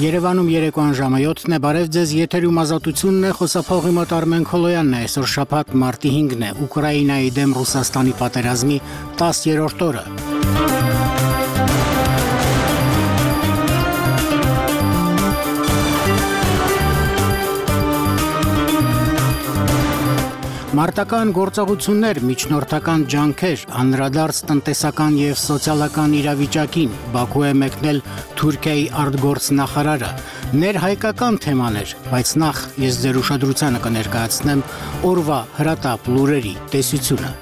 Երևանում երեկոյան ժամը 7-ն է, բարև ձեզ, եթերում ազատությունն է, խոսափողի մոտ Արմեն Քոլոյանն է, այսօր շաբաթ մարտի 5-ն է, Ուկրաինայի դեմ Ռուսաստանի պատերազմի 10-րդ օրը։ Մարտական գործողություններ, միջնորդական ջանքեր, անդրադարձ տնտեսական եւ սոցիալական իրավիճակին, Բաքու է մեկնել Թուրքիայի արտգործնախարարը, ներհայկական թեմաներ, բայց նախ ես ձեր ուշադրությանը կներկայացնեմ օրվա հրատապ լուրերի տեսությունը։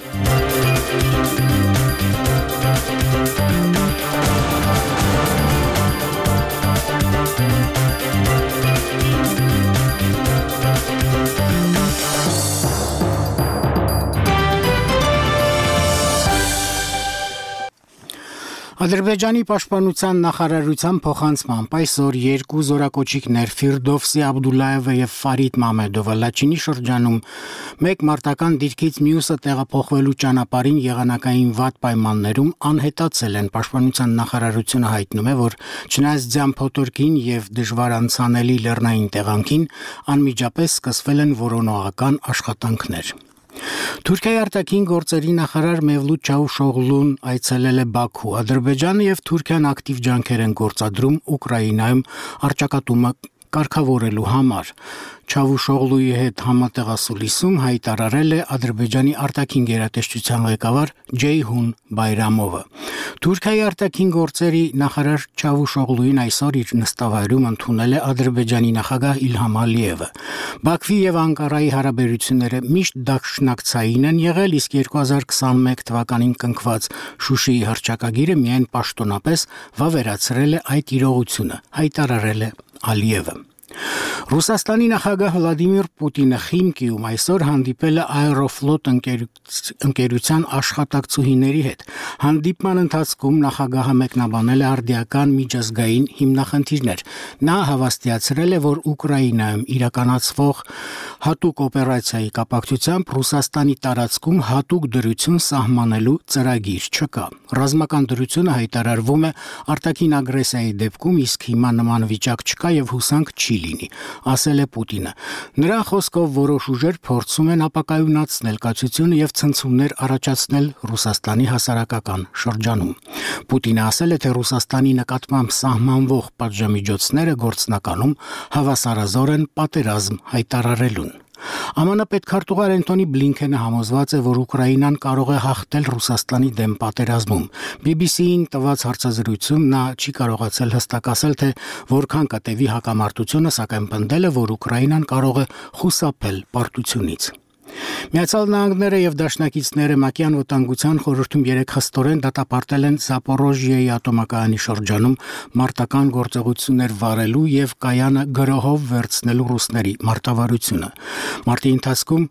Ադրբեջանի պաշտպանության նախարարության փոխանցմամբ այսօր երկու զորակոչիկներ Ֆիրդովսի Աբդուլլայևը եւ Ֆարիդ Մամեդովը Լաչինի շրջանում մեկ մարտական դիրքից մյուսը տեղափոխվելու ճանապարհին եղանակային վատ պայմաններում անհետացել են։ Պաշտպանության նախարարությունը հայտնում է, որ չնայած ձյամփոթորկին եւ դժվար անցանելի լեռնային տեղանքին անմիջապես սկսվել են որոնողական աշխատանքներ։ Թուրքիայի արտաքին գործերի նախարար Մևլութ Չավուշօղլուն այցելել է Բաքու։ Ադրբեջանը եւ Թուրքիան ակտիվ ջանքեր են գործադրում Ուկրաինայում առճակատումը կարգավորելու համար։ Չավուշօղլուի հետ համատեղասուլիսում հայտարարել է Ադրբեջանի արտաքին գերատեսչության ղեկավար Ջեյհուն Բայրամովը։ Թուրքիայի արտաքին գործերի նախարար Չավուշօղլուին այսօր իր նստավայրում ընդունել է Ադրբեջանի նախագահ Իլհամ Ալիևը։ Բաքվի եւ Անկարայի հարաբերությունները միշտ դաշնակցային են եղել, իսկ 2021 թվականին կնքված Շուշիի հռչակագիրը միայն պաշտոնապես վավերացրել է այդ իրողությունը, հայտարարել է Ալիևը։ Ռուսաստանի նախագահ Վլադիմիր Պուտինը Խիմկիում այսօր հանդիպել է Aeroflot ընկերության աշխատակցուհիների հետ։ Հանդիպման ընթացքում նախագահը մեկնաբանել է արդիական միջազգային հիմնախնդիրներ։ Նա հավաստիացրել է, որ Ուկրաինայում իրականացվող հատուկ օպերացիայի կապակցությամբ Ռուսաստանի տարածքում հատուկ դրություն սահմանելու ծրագիր չկա։ Ռազմական դրությունը հայտարարվում է արտաքին ագրեսիայի դեպքում, իսկ հիմա նման վիճակ չկա եւ հուսանք չի լինի, ասել է Պուտինը։ Նրա խոսքով որոշ ուժեր փորձում են ապակայունացնել կացությունը եւ ցնցումներ առաջացնել Ռուսաստանի հասարակական շրջանում։ Պուտինը ասել է, թե Ռուսաստանի նկատմամբ սահմանվող պատժամիջոցները գործնականում հավասարազոր են պատերազմ հայտարարելուն։ ԱՄՆ պետքարտուղար Անտոնի Բլինքենը համոզված է, որ Ուկրաինան կարող է հաղթել Ռուսաստանի դեմ պատերազմում։ BBC-ին տված հարցազրույցում նա չի կարողացել հստակ ասել, թե որքան կտևի հակամարտությունը, սակայն պնդել է, որ Ուկրաինան կարող է խուսափել պարտությունից։ Միացյալ Նահանգները եւ դաշնակիցները ՄԱԿ-ի անվտանգության խորհրդում 3 խստորեն դատապարտել են Զապորոժիեի ատոմակայանի շրջանում մարտական գործողություններ վարելու եւ կայանը գրոհով վերցնելու ռուսների մարտավարությունը։ Մարտի ընթացքում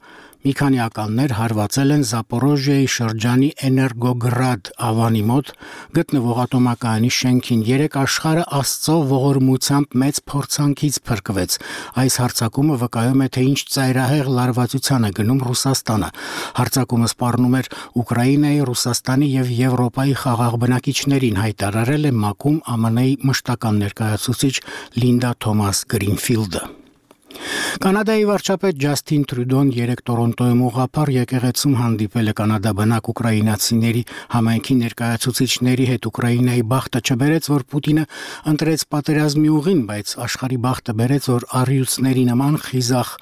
մի քանի ականներ հարվածել են Զապորոժիեի շրջանի Էներգոգրադ ավանի մոտ գտնվող ատոմակայանի շենքին։ 3 աշխարհը Աստծո ողորմությամբ մեծ փորձանքից փրկվեց։ Այս հարձակումը վկայում է, թե ինչ ծայրահեղ լարվածության է գնում Ռուսաստանը։ Հարձակումը սպառնում էր Ուկրաինայի, Ռուսաստանի եւ Եվրոպայի խաղաղ բնակիչներին, հայտարարել է ՄԱԿ-ում ԱՄՆ-ի մշտական ներկայացուցիչ Լինդա Թոմաս Գրինֆիլդը։ Կանադայի վարչապետ Ջասթին Տրյուդոն 3 Տորոնտոյում ուղղափառ եկեղեցում հանդիպել է կանադաբնակ ուկրաինացիների համայնքի ներկայացուցիչների հետ։ Ուկրաինայի բախտը չբերեց, որ Պուտինը ընտրեց պատերազմի ուղին, բայց աշխարհի բախտը բերեց, որ առյուծների նման խիզախ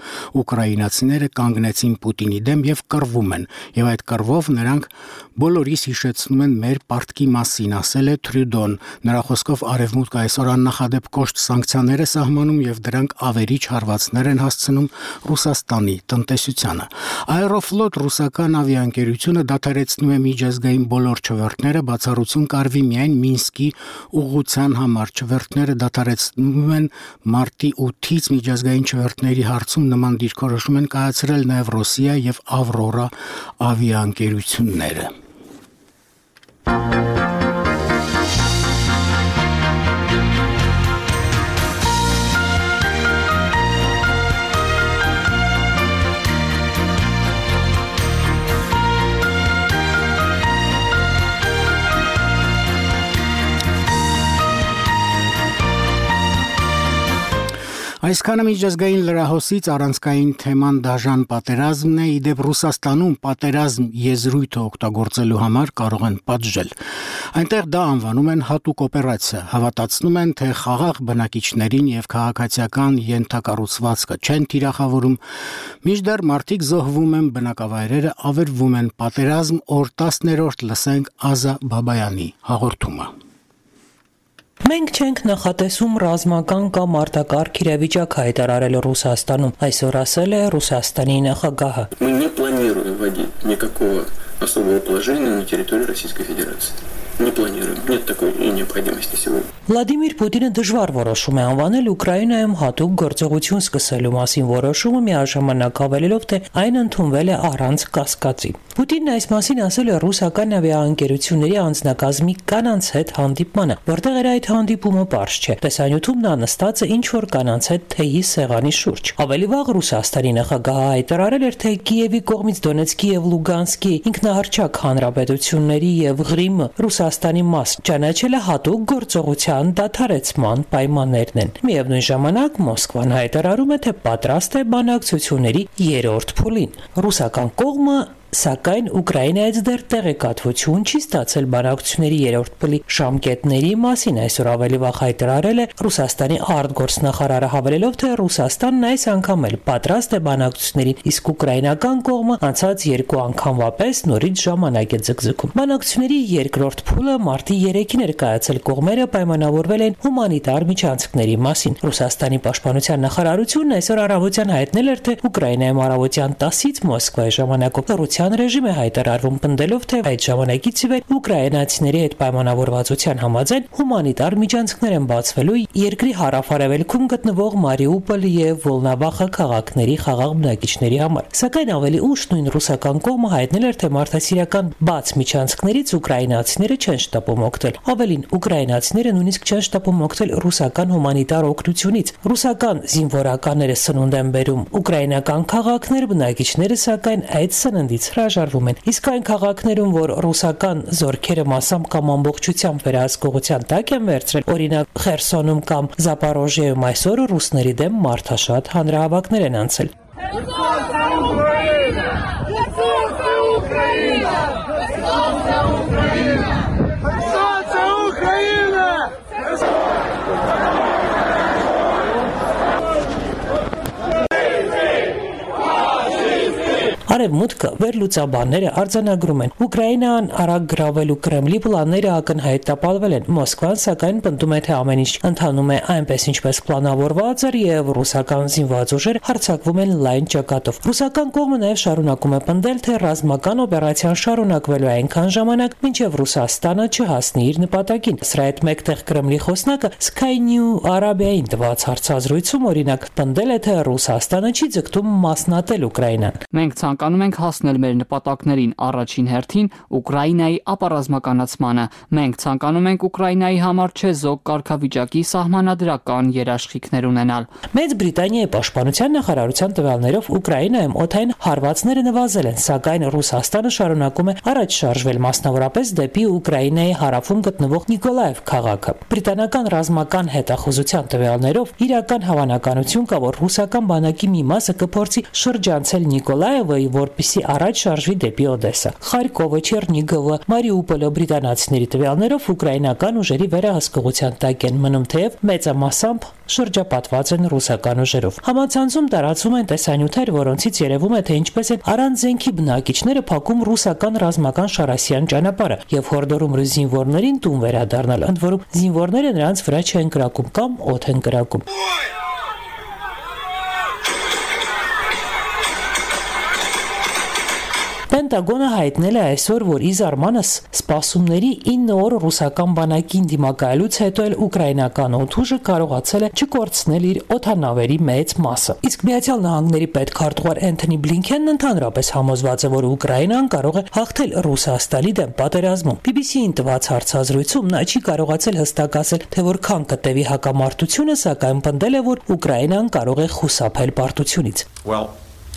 ուկրաինացիները կանգնեցին Պուտինի դեմ եւ կռվում են, եւ այդ կռվով նրանք բոլորիս հիշեցնում են մեր պարտքի մասին, ասել է Տրյուդոն։ Նրա խոսքով Արևմուտքը այսօր աննախադեպ կոշտ սանկցիաներ է սահմանում եւ դրանք ավերիչ հարվածներ են հասցնում Ռուսաստանի տնտեսությանը։ Aeroflot ռուսական ավիաընկերությունը դադարեցնում է միջազգային բոլոր չվերթները, բացառություն կարվի միայն Մինսկի ուղղության համար։ Չվերթները դադարեցնում են մարտի 8-ից միջազգային չվերթների հարցում նման դիրքորոշում են կայացրել նաև Ռոսիա եւ Ավրորա ավիաընկերությունները։ Այսքանը միջազգային լրահոսից առանցքային թեման դաժան պատերազմն է, իդեպ Ռուսաստանում պատերազմ եզրույթը օգտագործելու համար կարող են պատժել։ Այնտեղ դա անվանում են հատուկ օպերացիա, հավատացնում են, թե խաղաղ բնակիչներին եւ քաղաքացիական ենթակառուցվածքը չեն թիրախավորում, մինչդեռ մարդիկ զոհվում են, բնակավայրերը ավերվում են, պատերազմ օր 10-րդ լսենք Ազա Բաբայանի հաղորդումը։ Մենք չենք նախատեսում ռազմական կամ արտակարգ իրավիճակ հայտարարել Ռուսաստանում, այսօր ասել է Ռուսաստանի նախագահը։ Мы не планируем вводить никакого особого положения на территории Российской Федерации. Не планируем. Нет такой и необходимости сегодня. Վլադիմիր Պուտինը դժվար որոշում է անվանել Ուկրաինայում հատուկ գործողություն սկսելու մասին որոշումը միաժամանակ հավելելով, թե այն ընդունվել է առանց կասկածի։ Պուտինն այս մասին ասել է ռուսական ավիաընկերությունների անձնակազմի կանանց հետ հանդիպմանը, որտեղ էր այդ հանդիպումը պարզ չէ։ Տեսանյութում նա նստած է ինչ-որ կանանց հետ թեյի սեղանի շուրջ։ Ավելի վաղ Ռուսաստանի նախագահը հայտարարել էր, թե Կիևի կողմից Դոնեցկի եւ Լուգանսկի ինքնահռչակ հանրապետությունների եւ Ղրիմը Ռուսաստանի մաս ճանաչելը հատուկ գործողության դադարեցման պայմաններն են։ Միևնույն ժամանակ Մոսկվան հայտարարում է, թե պատրաստ է բանակցությունների երրորդ փուլին։ Ռուսական կողմը սակայն Ուկրաինայից դեռ տեղեկատվություն չի ստացել բանակցությունների երրորդ փուլի ժամկետների մասին, այսօր ավելի վաղ հայտարարել է Ռուսաստանի արտգործնախարարը հավելելով, թե Ռուսաստանն այս անգամ էլ պատրաստ է բանակցություններին, իսկ ուկրաինական կողմը անցած երկու անգամվա պես նորից ժամանակ է ձգձգում։ Բանակցությունների երկրորդ փուլը մարտի 3-ին էր կայացել, կողմերը պայմանավորվել են հումանիտար միջանցքների մասին։ Ռուսաստանի պաշտպանության նախարարությունն այսօր առավոտյան հայտնել էր, թե Ուկրաինայում առավոտյան 10-ից Մոսկվայի ժամանակով ռեժիմ է հայտարարվում պնդելով, թե այդ ժամանակից ի վեր ուկրաինացիների հետ պայմանավորվածության համաձայն հումանիտար միջանցքներ են բացվելու երկրի հարավ-արևելքում գտնվող Մարիուպոլ եւ Վոլնաբախը քաղաքների խաղաղ բնակիչների համար։ Սակայն ավելի ուշ նույն ռուսական կողմը հայտնել էր, թե մարդասիրական բաց միջանցքներից ուկրաինացիները չեն շտապում օգտվել։ Ավելին, ուկրաինացիները նույնիսկ չեն շտապում օգտվել ռուսական հումանիտար օգնությունից։ Ռուսական զինվորականները սնունդ են բերում ուկրաինական քաղաքներ, բնակիչները սակայն այդ սննդից հրաժարվում են, իսկ այն քաղաքներում, որ ռուսական զորքերը մասամբ կամ ամբողջությամբ վերահսկողության տակ են վերցրել, օրինակ Խերսոնում կամ Զապորոժիայում, այսօր ռուսների դեմ մարդաշատ հանրահավաքներ են անցել։ Արևմուտքը վերլուծաբանները արձանագրում են Ուկրաինան արագ գրավելու Կրեմլի պլանները ակնհայտ տապալվել են։ Մոսկվան սակայն պնդում է, թե ամեն ինչ ընթանում է այնպես ինչպես պլանավորված էր եւ ռուսական զինված ուժերը հարձակվում են լայն ճակատով։ Ռուսական կողմը նաեւ շարունակում է պնդել, թե ռազմական օպերացիան շարունակվելու է այնքան ժամանակ, մինչեւ Ռուսաստանը չհասնի իր նպատակին։ Սրա հետ մեկտեղ Կրեմլի խոսնակը Sky News Arabia-ին տված հարցազրույցում օրինակ պնդել է, թե Ռուսաստանը չի ձգտում մասնատել Ուկրաինան։ Մենք ցանկանում ենք հասնել մեր նպատակներին, առաջին հերթին Ուկրաինայի ապառազմականացմանը։ Մենք ցանկանում ենք Ուկրաինայի համար չեզոք կարգավիճակի սահմանադրական երաշխիքներ ունենալ։ Մեծ Բրիտանիայի պաշտպանության նախարարության տվյալներով Ուկրաինայում օդային հարվածները նվազել են, սակայն Ռուսաստանը շարունակում է առաջ շարժվել, մասնավորապես դեպի Ուկրաինայի հարավում գտնվող Նիկոլաև քաղաքը։ Բրիտանական ռազմական հետախուզության տվյալներով իրական հավանականություն կա, որ ռուսական բանակի մի մասը կփորձի շրջանցել Նիկոլաևը, որպեսզի առաջ շարժվի դեպի Օդեսա։ Խարկովը, Չերնիգովը, Մարիուպոլը բրիտանացիների տվյալներով ուկրաինական ուժերի վերահսկողության տակ են մնում, թեև մեծամասամբ շրջապատված են ռուսական ուժերով։ Համացանցում տարածվում են տեսանյութեր, որոնցից երևում է, թե ինչպես են առանց զենքի բնակիչները փակում ռուսական ռազմական շարասյան ճանապարհը եւ հորդորում զինվորներին տուն վերադառնալ, ընդ որում զինվորները նրանց վրա չեն կրակում կամ օդ են կրակում։ Պենտագոնը հայտնել է այսօր, որ ի զարմանս սպասումների 9 օր ռուսական բանակին դիմակայելուց հետո էլ ուկրաինական օդուժը կարողացել է չկորցնել իր օդանավերի մեծ մասը։ Իսկ Միացյալ Նահանգների պետքարտուղար Էնթոնի Բլինքենն ընդհանրապես համոզված է, որ Ուկրաինան կարող է հաղթել Ռուսաստանի դեմ պատերազմում։ BBC-ին տված հարցազրույցում նա չի կարողացել հստակ ասել, թե որքան կտևի հակամարտությունը, սակայն պնդել է, որ Ուկրաինան կարող է խուսափել պարտությունից։ Well,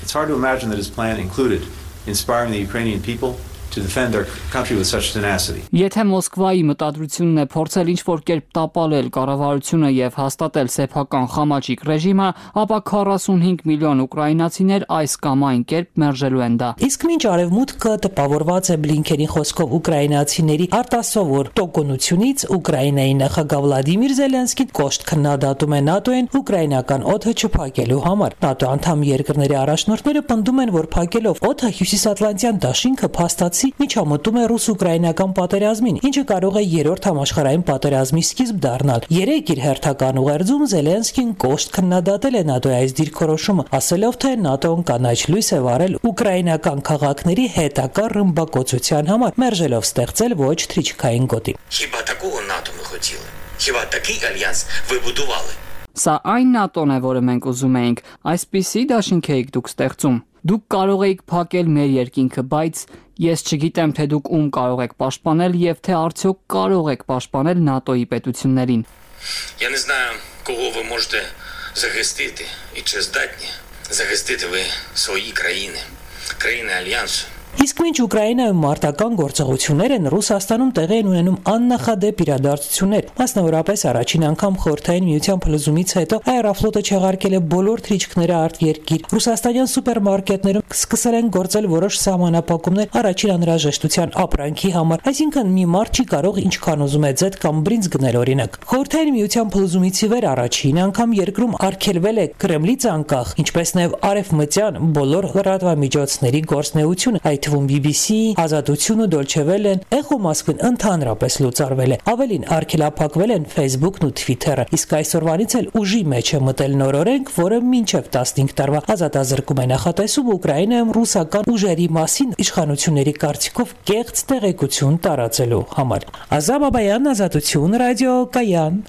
it's hard to imagine that his plan included inspiring the Ukrainian people to defend our country with such tenacity. Եթե Մոսկվայի մտադրությունն է փորձել ինչ-որ կերպ տապալել կառավարությունը եւ հաստատել սեփական խամաճիկ ռեժիմը, ապա 45 միլիոն ուկրաինացիներ այս կամ այն կերպ մերժելու են դա։ Իսկ մինչ արևմուտքը տպավորված է Բլինքենի խոսքով ուկրաինացիների արտասովոր տոկունությունից, Ուկրաինայի նախագահ Վլադիմիր Զելենսկին կոշտ քննադատում է ՆԱՏՕ-ին ուկրաինական օդը չփակելու համար։ ՆԱՏՕ անդամ երկրների առաջնորդները պնդում են, որ փակելով օդը Հյուսիսատլանտյան դաշինքը փաստացի միջամտում է ռուս-ուկրաինական պատերազմին, ինչը կարող է երրորդ համաշխարհային պատերազմի սկիզբ դառնալ։ Երեկ իր հերթական ուղերձում Զելենսկին կոշտ քննադատել է ՆԱՏՕ-ի այս դիրքորոշումը, ասելով, թե ՆԱՏՕ-ն կանաչ լույս է վարել ուկրաինական քաղաքների հետակա ռմբակոծության համար, մերժելով ստեղծել ոչ թրիչքային գոտի։ Хіба такого НАТО ми хотіли? Хіба такий альянс ви будували? Սա այն ՆԱՏՕ-ն է, որը մենք ուզում էինք, այսպիսի դաշինք էիք դուք ստեղծում։ Դուք կարող էիք փակել մեր երկինքը, բայց ես չգիտեմ, թե դուք ում կարող եք պաշտպանել եւ թե արդյոք կարող եք պաշտպանել ՆԱՏՕ-ի պետություններին։ Я не знаю, кого ви можете захистити і чи здатні захистити ви свої країни, країни альянсу. Իսկ մինչ Ուկրաինայում մարտական գործողություններ են, Ռուսաստանում տեղի են ունենում աննախադեպ իրադարձություններ։ Մասնավորապես առաջին անգամ Խորհրդային Միության փլուզումից հետո Aeroflot-ը չեղարկել է բոլոր թրիչքները արտերկիր։ Ռուսաստանյան սուպերմարկետներում սկսել են գործել որոշ սահմանափակումներ առաջին անհրաժեշտության ապրանքի համար, այսինքն մի մարդ չի կարող ինչքան ուզում է ձեթ կամ բրինձ գնել օրինակ։ Խորհրդային Միության փլուզումից ի վեր առաջին անգամ երկրում արգելվել է Կրեմլից անկախ, ինչպես նաև արևմտյան բոլոր լրատվամիջոցների գործունեությունը, այդ թվում BBC, Ազատությունը, Dolce Welle-ն, Echo Moskvin ընդհանրապես լուծարվել է։ Ավելին արգելափակվել են Facebook-ն ու Twitter-ը։ Իսկ այսօրվանից էլ ուժի մեջ է մտել նոր օրենք, որը մինչև 15 տարվա ազատազրկում է նախատեսում Ուկրաինայում ռուսական ուժերի մասին իշխանությունների կարծիքով կեղծ տեղեկություն տարածելու համար։ Ազա Բաբայան, Ազատություն, ռադիո Կայան։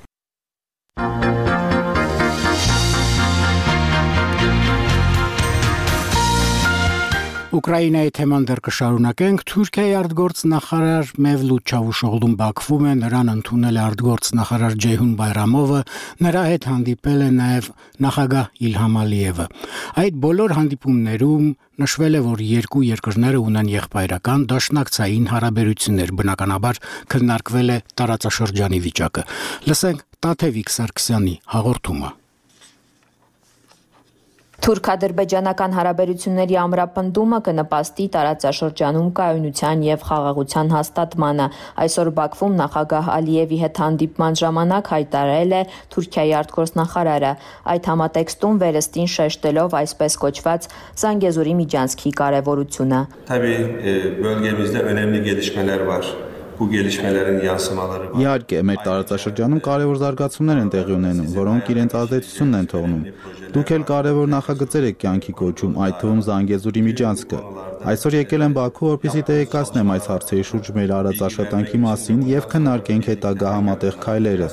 Ուկրաինայի թեման դեռ կշարունակենք։ Թուրքիայի արտգործ նախարար Մևլութ Չավուշօղլուն Բաքվում է, նրան ընդունել է արտգործ նախարար Ջեյհուն Բայրամովը, նրա հետ հանդիպել է նաև նախագահ Իլհամ Ալիևը։ Այդ բոլոր հանդիպումներում նշվել է, որ երկու երկրները ունեն եղբայրական դաշնակցային հարաբերություններ, բնականաբար քննարկվել է տարածաշրջանի վիճակը։ Լսենք Տաթևիկ Սարգսյանի հաղորդումը։ Թուրք-ադրբեջանական հարաբերությունների ամրապնդումը կնպաստի տարածաշրջանում կայունության եւ խաղաղության հաստատմանը։ Այսօր Բաքվում նախագահ Ալիևի հետ հանդիպման ժամանակ հայտարարել է Թուրքիայի արտգործնախարարը։ Այդ համատեքստում վերստին շեշտելով այսպես կոչված Զանգեզուրի միջանցքի կարևորությունը։ Իհարկե, մեր տարածաշրջանում կարևոր զարգացումներ են տեղի ունենում, որոնք իրենց ազդեցությունն են թողնում։ Դուք էլ կարևոր նախագծեր եք կյանքի կոչում, այդ թվում Զանգեզուրի միջանցքը։ Այսօր եկել եմ Բաքու, որպեսզի տեղեկացնեմ այս հարցերի շուրջ մեր արած աշխատանքի մասին եւ քննարկենք հետագա համատեղ քայլերը։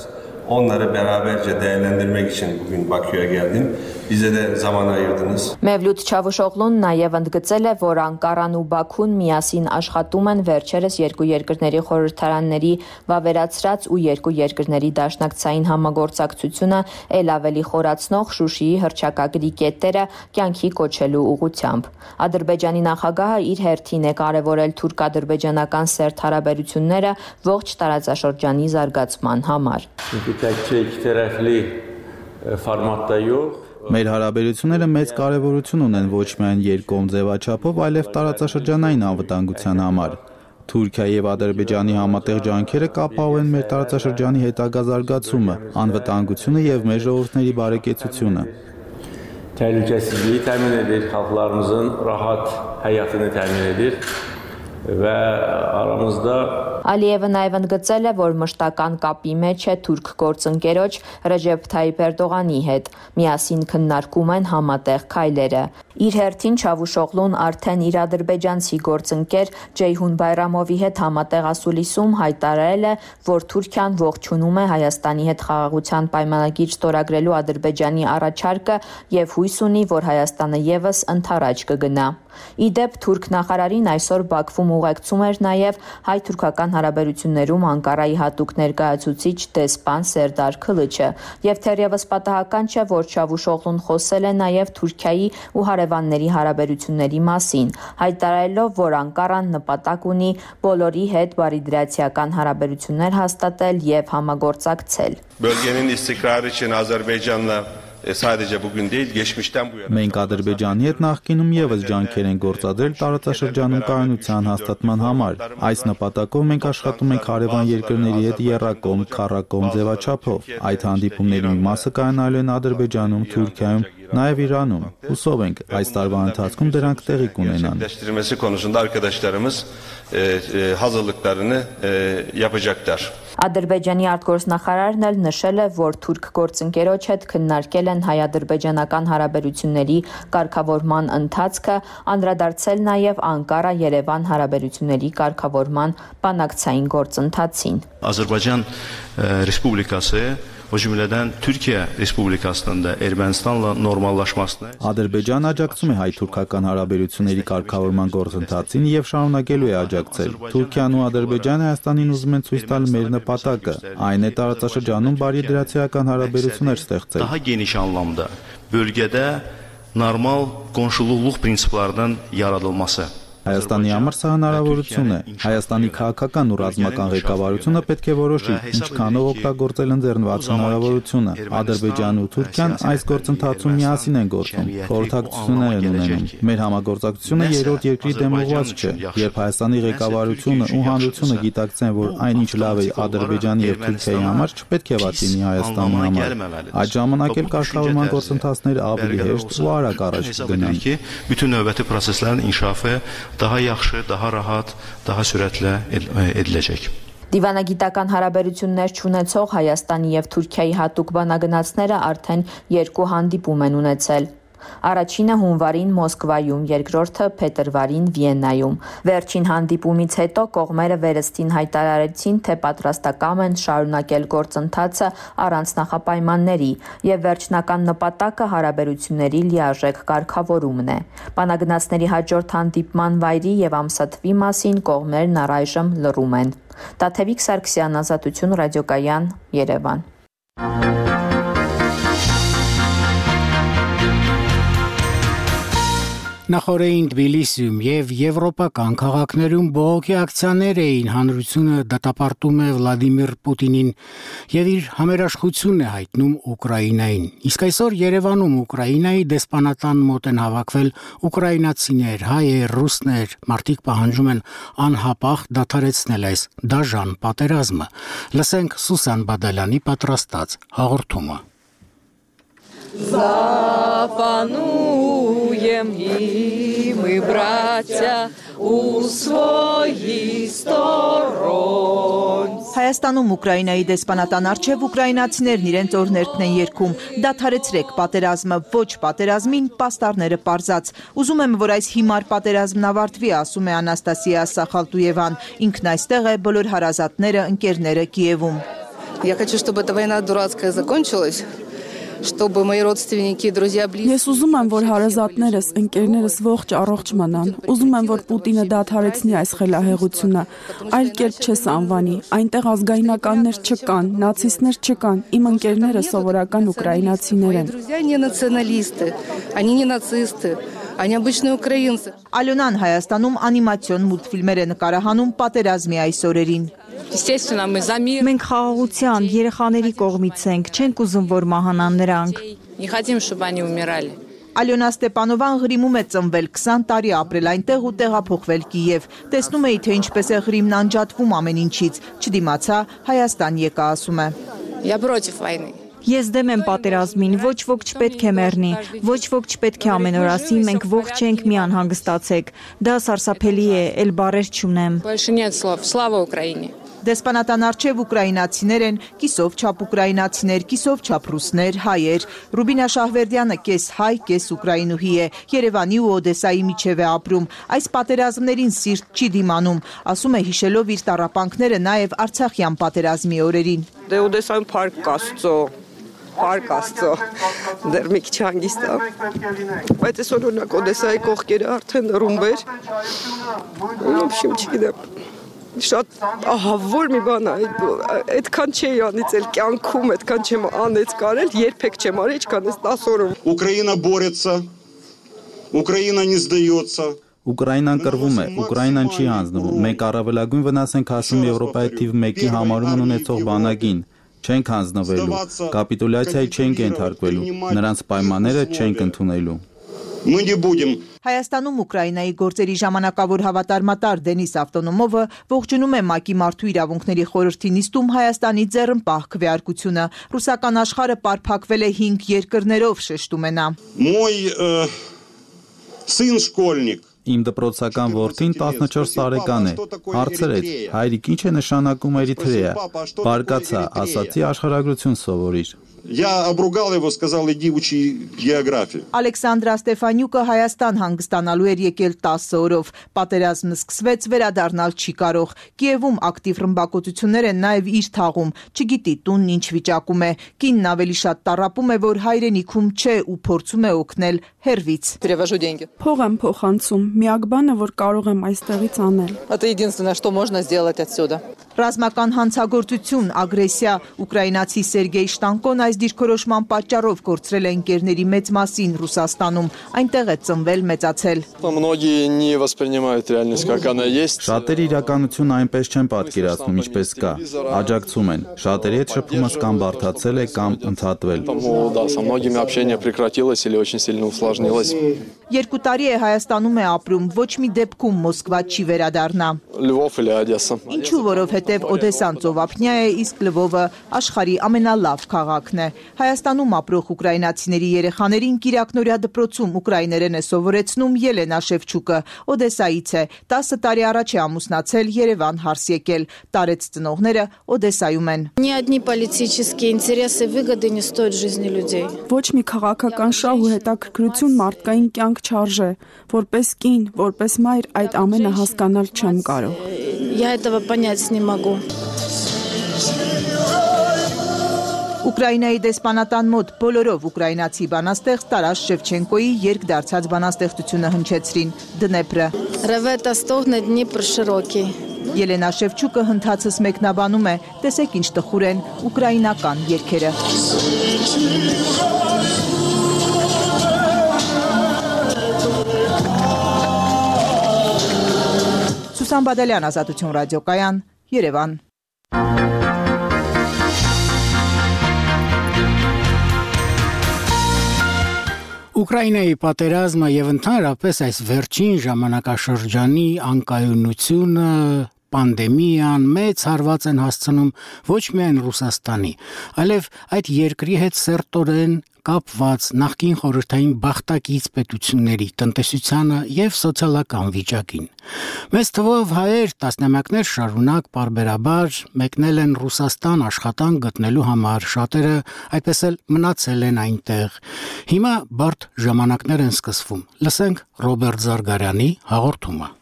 Onları beraberce değerlendirmek için bugün Bakü'ye geldim. Bize de zaman ayırdınız. Mevlut Çavuşoğlu'n նաև ընդգծել է, որ Անկարան ու Բաքուն միասին աշխատում են վերջերս երկու երկրների խորհրդարանների վավերացրած ու երկու երկրների դաշնակցային համագործակցությունը ել ավելի խորացնող Շուշիի հռչակագրի կետերը կյանքի կոչելու ուղղությամբ։ Ադրբեջանի նախագահը իր հերթին է կարևորել թուրք-ադրբեջանական սերտ հարաբերությունները ողջ տարածաշրջանի զարգացման համար։ Մեր հարաբերությունները մեծ կարևորություն ունեն ոչ միայն երկկողմ ձևաչափով, այլև տարածաշրջանային անվտանգության համար։ Թուրքիայի եւ Ադրբեջանի համատեղ ջանքերը կապահովեն մեր տարածաշրջանի հետագա զարգացումը, անվտանգությունը եւ մեր ժողովուրդների բարեկեցությունը։ Təhlükəsizliyi təmin edir, xalqlarımızın rahat həyatını təmin edir və aramızda Ալիևը նաև ընդգծել է, որ մշտական կապի մեջ է թուրք գործընկերոջ Ռեջեփ Թայիփ Էրդողանի հետ, միասին քննարկում են համատեղ քայլերը։ Իր հերթին Չավուշօղլուն արդեն իր ադրբեջանցի գործընկեր Ջեյհուն Բայրամովի հետ համատեղ ասուլիսում հայտարարել է, որ Թուրքիան ողջունում է Հայաստանի հետ խաղաղության պայմանագիր ստորագրելու Ադրբեջանի առաջարկը եւ հույս ունի, որ Հայաստանը եւս ընդառաջ կգնա։ Ի դեպ թուրք նախարարին այսօր Բաքվում ուղեկցում էր նաև հայ-թուրքական հարաբերություններում Անկարայի հատուկ ներկայացուցիչ դեսպան Սերդար Քլիչը եւ թերևս պատահական չէ, որ Չավուշօղլուն խոսել է նաեւ Թուրքիայի ու հարևանների հարաբերությունների մասին, հայտարարելով, որ Անկարան նպատակ ունի բոլորի հետ բարիդրացիական հարաբերություններ հաստատել եւ համագործակցել։ Bölgenin istikrarı için Azerbaycan'la sadece bugün değil, geçmişten bu yana. Մենք Ադրբեջանի հետ նախկինում եւս ջանքեր են գործադրել տարածաշրջանում կայունության հաստատման համար։ Այս նպատակով մենք աշխատում ենք հարևան երկրների հետ եռակողմ, քառակողմ ձևաչափով։ Այդ հանդիպումների մի մասը կայանալու են Ադրբեջանում, Թուրքիայում, նաեւ Իրանում։ Հուսով ենք այս տարվա ընթացքում դրանք տեղի կունենան։ Gerçekleştirilmesi konusunda arkadaşlarımız hazırlıklarını yapacaklar. Ադրբեջանի արտգործնախարարն էլ նշել է, որ թուրք գործընկերոջ հետ քննարկել են հայ-ադրբեջանական հարաբերությունների կարգավորման ընթացքը, անդրադարձել նաև Անկարա-Երևան հարաբերությունների կարգավորման բանակցային գործընթացին։ Azərbaycan Respublikası o cümleden Türkiye Respublikasının da Ermənistanla normallaşmasına Ադրբեջանը աջակցում է հայ-թուրքական հարաբերությունների կարգավորման գործընթացին եւ շարունակելու է աջակցել։ Թուրքիան ու Ադրբեջանը Հայաստանին ուզում են ցույց տալ մեր նպատակը, այն է տարածաշրջանում բարիդրացիական հարաբերություններ ստեղծել։ Daha geniş anlamda bölgede normal qonşuluqluq prinsiplərinin yaradılması Հայաստանի համար սա հնարավորություն է։ Հայաստանի քաղաքական ու ռազմական ղեկավարությունը պետք է որոշի ինչքանով օգտագործել ընձեռնված հնարավորությունը։ Ադրբեջանն ու Թուրքիան այս գործընթացում միասին են գործում, խորհրդակցություններ են ունենում։ Մեր համագործակցությունը երրորդ երկրի դեմ ուղղված չէ։ Երբ Հայաստանի ղեկավարությունը ու հանրությունը գիտակցեն, որ այնինչ լավ է Ադրբեջանի եւ Թուրքիայի համար, չպետք է վատ լինի Հայաստանի համար։ Այդ ժամանակ էլ կարգավորման գործընթացները ավելի հեշտ ու արագ առաջ կգնան։ Bütün növbəti proseslərin inkişafı daha yaxşı, daha rahat, daha sürətlə ediləcək. Դիվանագիտական հարաբերություններ չունեցող Հայաստանի եւ Թուրքիայի հատուկ բանագնացները արդեն 2 հանդիպում են ունեցել։ Առաջինը հունվարին Մոսկվայում, երկրորդը փետրվարին Վիեննայում։ Վերջին հանդիպումից հետո կողմերը վերստին հայտարարեցին, թե պատրաստակամ են շարունակել գործընթացը առանց նախապայմանների, եւ վերջնական նպատակը հարաբերությունների լիարժեք կարգավորումն է։ Բանագնացների հաջորդ հանդիպման վայրի եւ ամսաթվի մասին կողմերն առայժմ լռում են։ Տաթևիկ Սարգսյան, Ազատություն ռադիոկայան, Երևան։ Նախորդին Թբիլիսիում եւ եվրոպական քաղաքներում բողոքի ակցիաներ էին հանրությունը դատապարտում է Վլադիմիր Պուտինին եւ իր համերաշխությունն է հայտնում Ուկրաինային։ Իսկ այսօր Երևանում Ուկրաինայի դեսպանատան մոտ են հավաքվել ուկրաինացիներ, հայեր, ռուսներ, մարդիկ պահանջում են անհապաղ դադարեցնել այս դաժան պատերազմը։ Լսենք Սուսան Բադալյանի պատրաստած հաղորդումը։ Запануем и мы, братья, у своих сторон. Հայաստանում Ուկրաինայի դեսպանատան առջև ուկրաինացիներն իրենց օրներքն են երգում. Դադարեցրեք պատերազմը, ոչ պատերազմին, պաստառները պարզած։ Ուզում եմ, որ այս հիմար պատերազմն ավարտվի, ասում է Անաստասիա Սախալտուևան։ Ինքն այստեղ է, բոլոր հարազատները, ընկերները Կիևում։ Я хочу, чтобы эта война дурацкая закончилась. Чтобы мои родственники и друзья близкие. Ես ուզում եմ, որ հարազատներս, ընկերներս ողջ առողջ մնան։ Ուզում եմ, որ Պուտինը դադարեցնի այս խելահեղությունը։ Այլ կերպ չես անվանի։ Այնտեղ ազգայնականներ չկան, նացիստներ չկան։ Իմ ընկերները սովորական ուկրաինացիներ են։ Друзья не националисты, они не нацисты, они обычные украинцы. Ալյոնան Հայաստանում անիմացիոն մուլտֆիլմեր է նկարահանում պատերազմի այս օրերին։ Մենք խաղաղության, երեխաների կողմից ենք, չենք ուզում, որ մահանան նրանք։ Ալյոնա Ստեպանովան Ղրիմում է ծնվել, 20 տարի ապրել այնտեղ ու տեղափոխվել Կիև։ Տեսնում էի, թե ինչպես է Ղրիմն անջատվում ամեն ինչից, չդիմացա, Հայաստան եկա, ասում է։ Ես դեմ եմ պատերազմին, ոչ ոք չպետք է մեռնի, ոչ ոք չպետք է ամեն օր ասի, մենք ողջ ենք, մի անհանգստացեք։ Դա սարսափելի է, էլ բառեր չունեմ։ Դեսպանատան առջև ուկրաինացիներ են, կիսով չափ ուկրաինացիներ, կիսով չափ ռուսներ, հայեր։ Ռուբինա Շահվերդյանը կես հայ, կես ուկրաինուհի է, Երևանի ու Օդեսայի միջև է ապրում։ Այս պատերազմներին սիրտ չի դիմանում, ասում է հիշելով իր տառապանքները նաև Արցախյան պատերազմի օրերին։ Դե Օդեսայում փառք Աստծո, փառք Աստծո, դեռ մի քիչ հանգիստ է։ Բայց այսօր օրինակ Օդեսայի կողքերը արդեն ռումբ էր։ Ոբշիմ չգիտեմ։ Շատ ահավոր մի բան է, այդքան չէի անից էլ կյանքում, այդքան չեմ անեց կարել, երբեք չեմ արել, ինչքան այս 10 օրում։ Ուկրաինա борется, Ուկրաինա не сдается։ Ուկրաինան կռվում է, Ուկրաինան չի հանձնվում։ Մենք առավելագույն վնաս ենք հասնում Եվրոպայի թիվ 1-ի համարում ունեցող բանակին։ Չենք հանձնվելու, կապիտուլյացիայի չենք ենթարկվելու, նրանց պայմանները չենք ընդունելու։ Мы не будем։ Հայաստանում Ուկրաինայի գործերի ժամանակավոր հավատարմատար Դենիս Ավտոնոմովը ողջունում է ՄԱԿ-ի Մարդու իրավունքների խորհրդի նիստում Հայաստանի ձեռնպահ քվեարկությունը։ Ռուսական աշխարհը պարփակվել է 5 երկրներով, շեշտում է նա։ Мой сын школьник։ Իմ դպրոցական որդին 14 տարեկան է, հարցրեց, հայրիկ ինչ է նշանակում Էրիթրեա, բարկացա, ասացի աշխարհագրություն սովորիր։ Я обругал его, сказал, иди учи географию։ Ալեքսանդրա Ստեֆանյուկը Հայաստան հանգստանալու էր եկել 10 օրով։ Պատերազմը սկսվեց, վերադառնալ չի կարող։ Կիևում ակտիվ ռմբակոծություններ են նաև իր թաղում, չգիտի տունն ինչ վիճակում է։ Կինն ավելի շատ տառապում է, որ հայրենիքում չէ ու փորձում է օգնել հեռվից։ Փող եմ փոխանցում, միակ բանը, որ կարող եմ այստեղից անել։ Это единственное, что можно сделать отсюда։ Ռազմական հանցագործություն, ագրեսիա, ուկրաինացի Սերգեյ Շտանկոն այս դիրքորոշման պատճառով կորցրել է ընկերների մեծ մասին Ռուսաստանում, այնտեղ է ծնվել, մեծացել։ Շատերը իրականությունը այնպես չեն պատկերացնում, ինչպես կա, աջակցում են, շատերի հետ շփումս կամ բարդացել է, կամ ընդհատվել։ 2 տարի է Հայաստանում է ապրում, ոչ մի դեպքում Մոսկվա չի վերադառնա։ Ինչու, որովհետև Օդեսան ծովափնյա է, իսկ Լվովը աշխարհի ամենալավ քաղաքն է։ Հայաստանում ապրող ուկրաինացիների երեխաներին Կիրակնորյա դպրոցում ուկրաիներեն է սովորեցնում Ելենա Շևչուկը, Օդեսայից է, 10 տարի առաջ է ամուսնացել, Երևան հարս եկել, տարեց ծնողները Օդեսայում են։ Ни одни политические интересы и выгоды не стоят жизни людей։ Ոչ մի քաղաքական շահ ու հետաքրքրություն մարդկային կյանք չարժե, որպես կին, որպես մայր այդ ամենը հասկանալ չեմ կարող։ Я этого понять не могу։ Ուկրաինայի դեսպանատան մոտ բոլորով ուկրաինացի բանաստեղծ Տարաս Շևչենկոյի երկդարձած բանաստեղծությունը հնչեցրին Դնեպրը։ Ревета стогне Дніпр широкий։ Ելենա Շևչուկը հնդածս մեկնաբանում է, տեսեք ինչ տխուր են ուկրաինական երգերը։ Սուսան Բադալյան, Ազատություն ռադիոկայան, Երևան։ Ուկրաինայի պատերազմը եւ ընդհանրապես այս վերջին ժամանակաշրջանի անկայունությունը, պանդեմիան մեծ հարված են հասցնում ոչ միայն Ռուսաստանի, այլև այդ երկրի հետ սերտորեն կապված նախկին խորհրդային բախտակից պետությունների տնտեսությանը եւ սոցիալական վիճակին։ Մեծ թվով հայեր տասնամյակներ շարունակ պարբերաբար մեկնել են Ռուսաստան աշխատանք գտնելու համար, շատերը այդպես էլ մնացել են այնտեղ։ Հիմա բարդ ժամանակներ են սկսվում։ Լսենք Ռոբերտ Զարգարյանի հաղորդումը։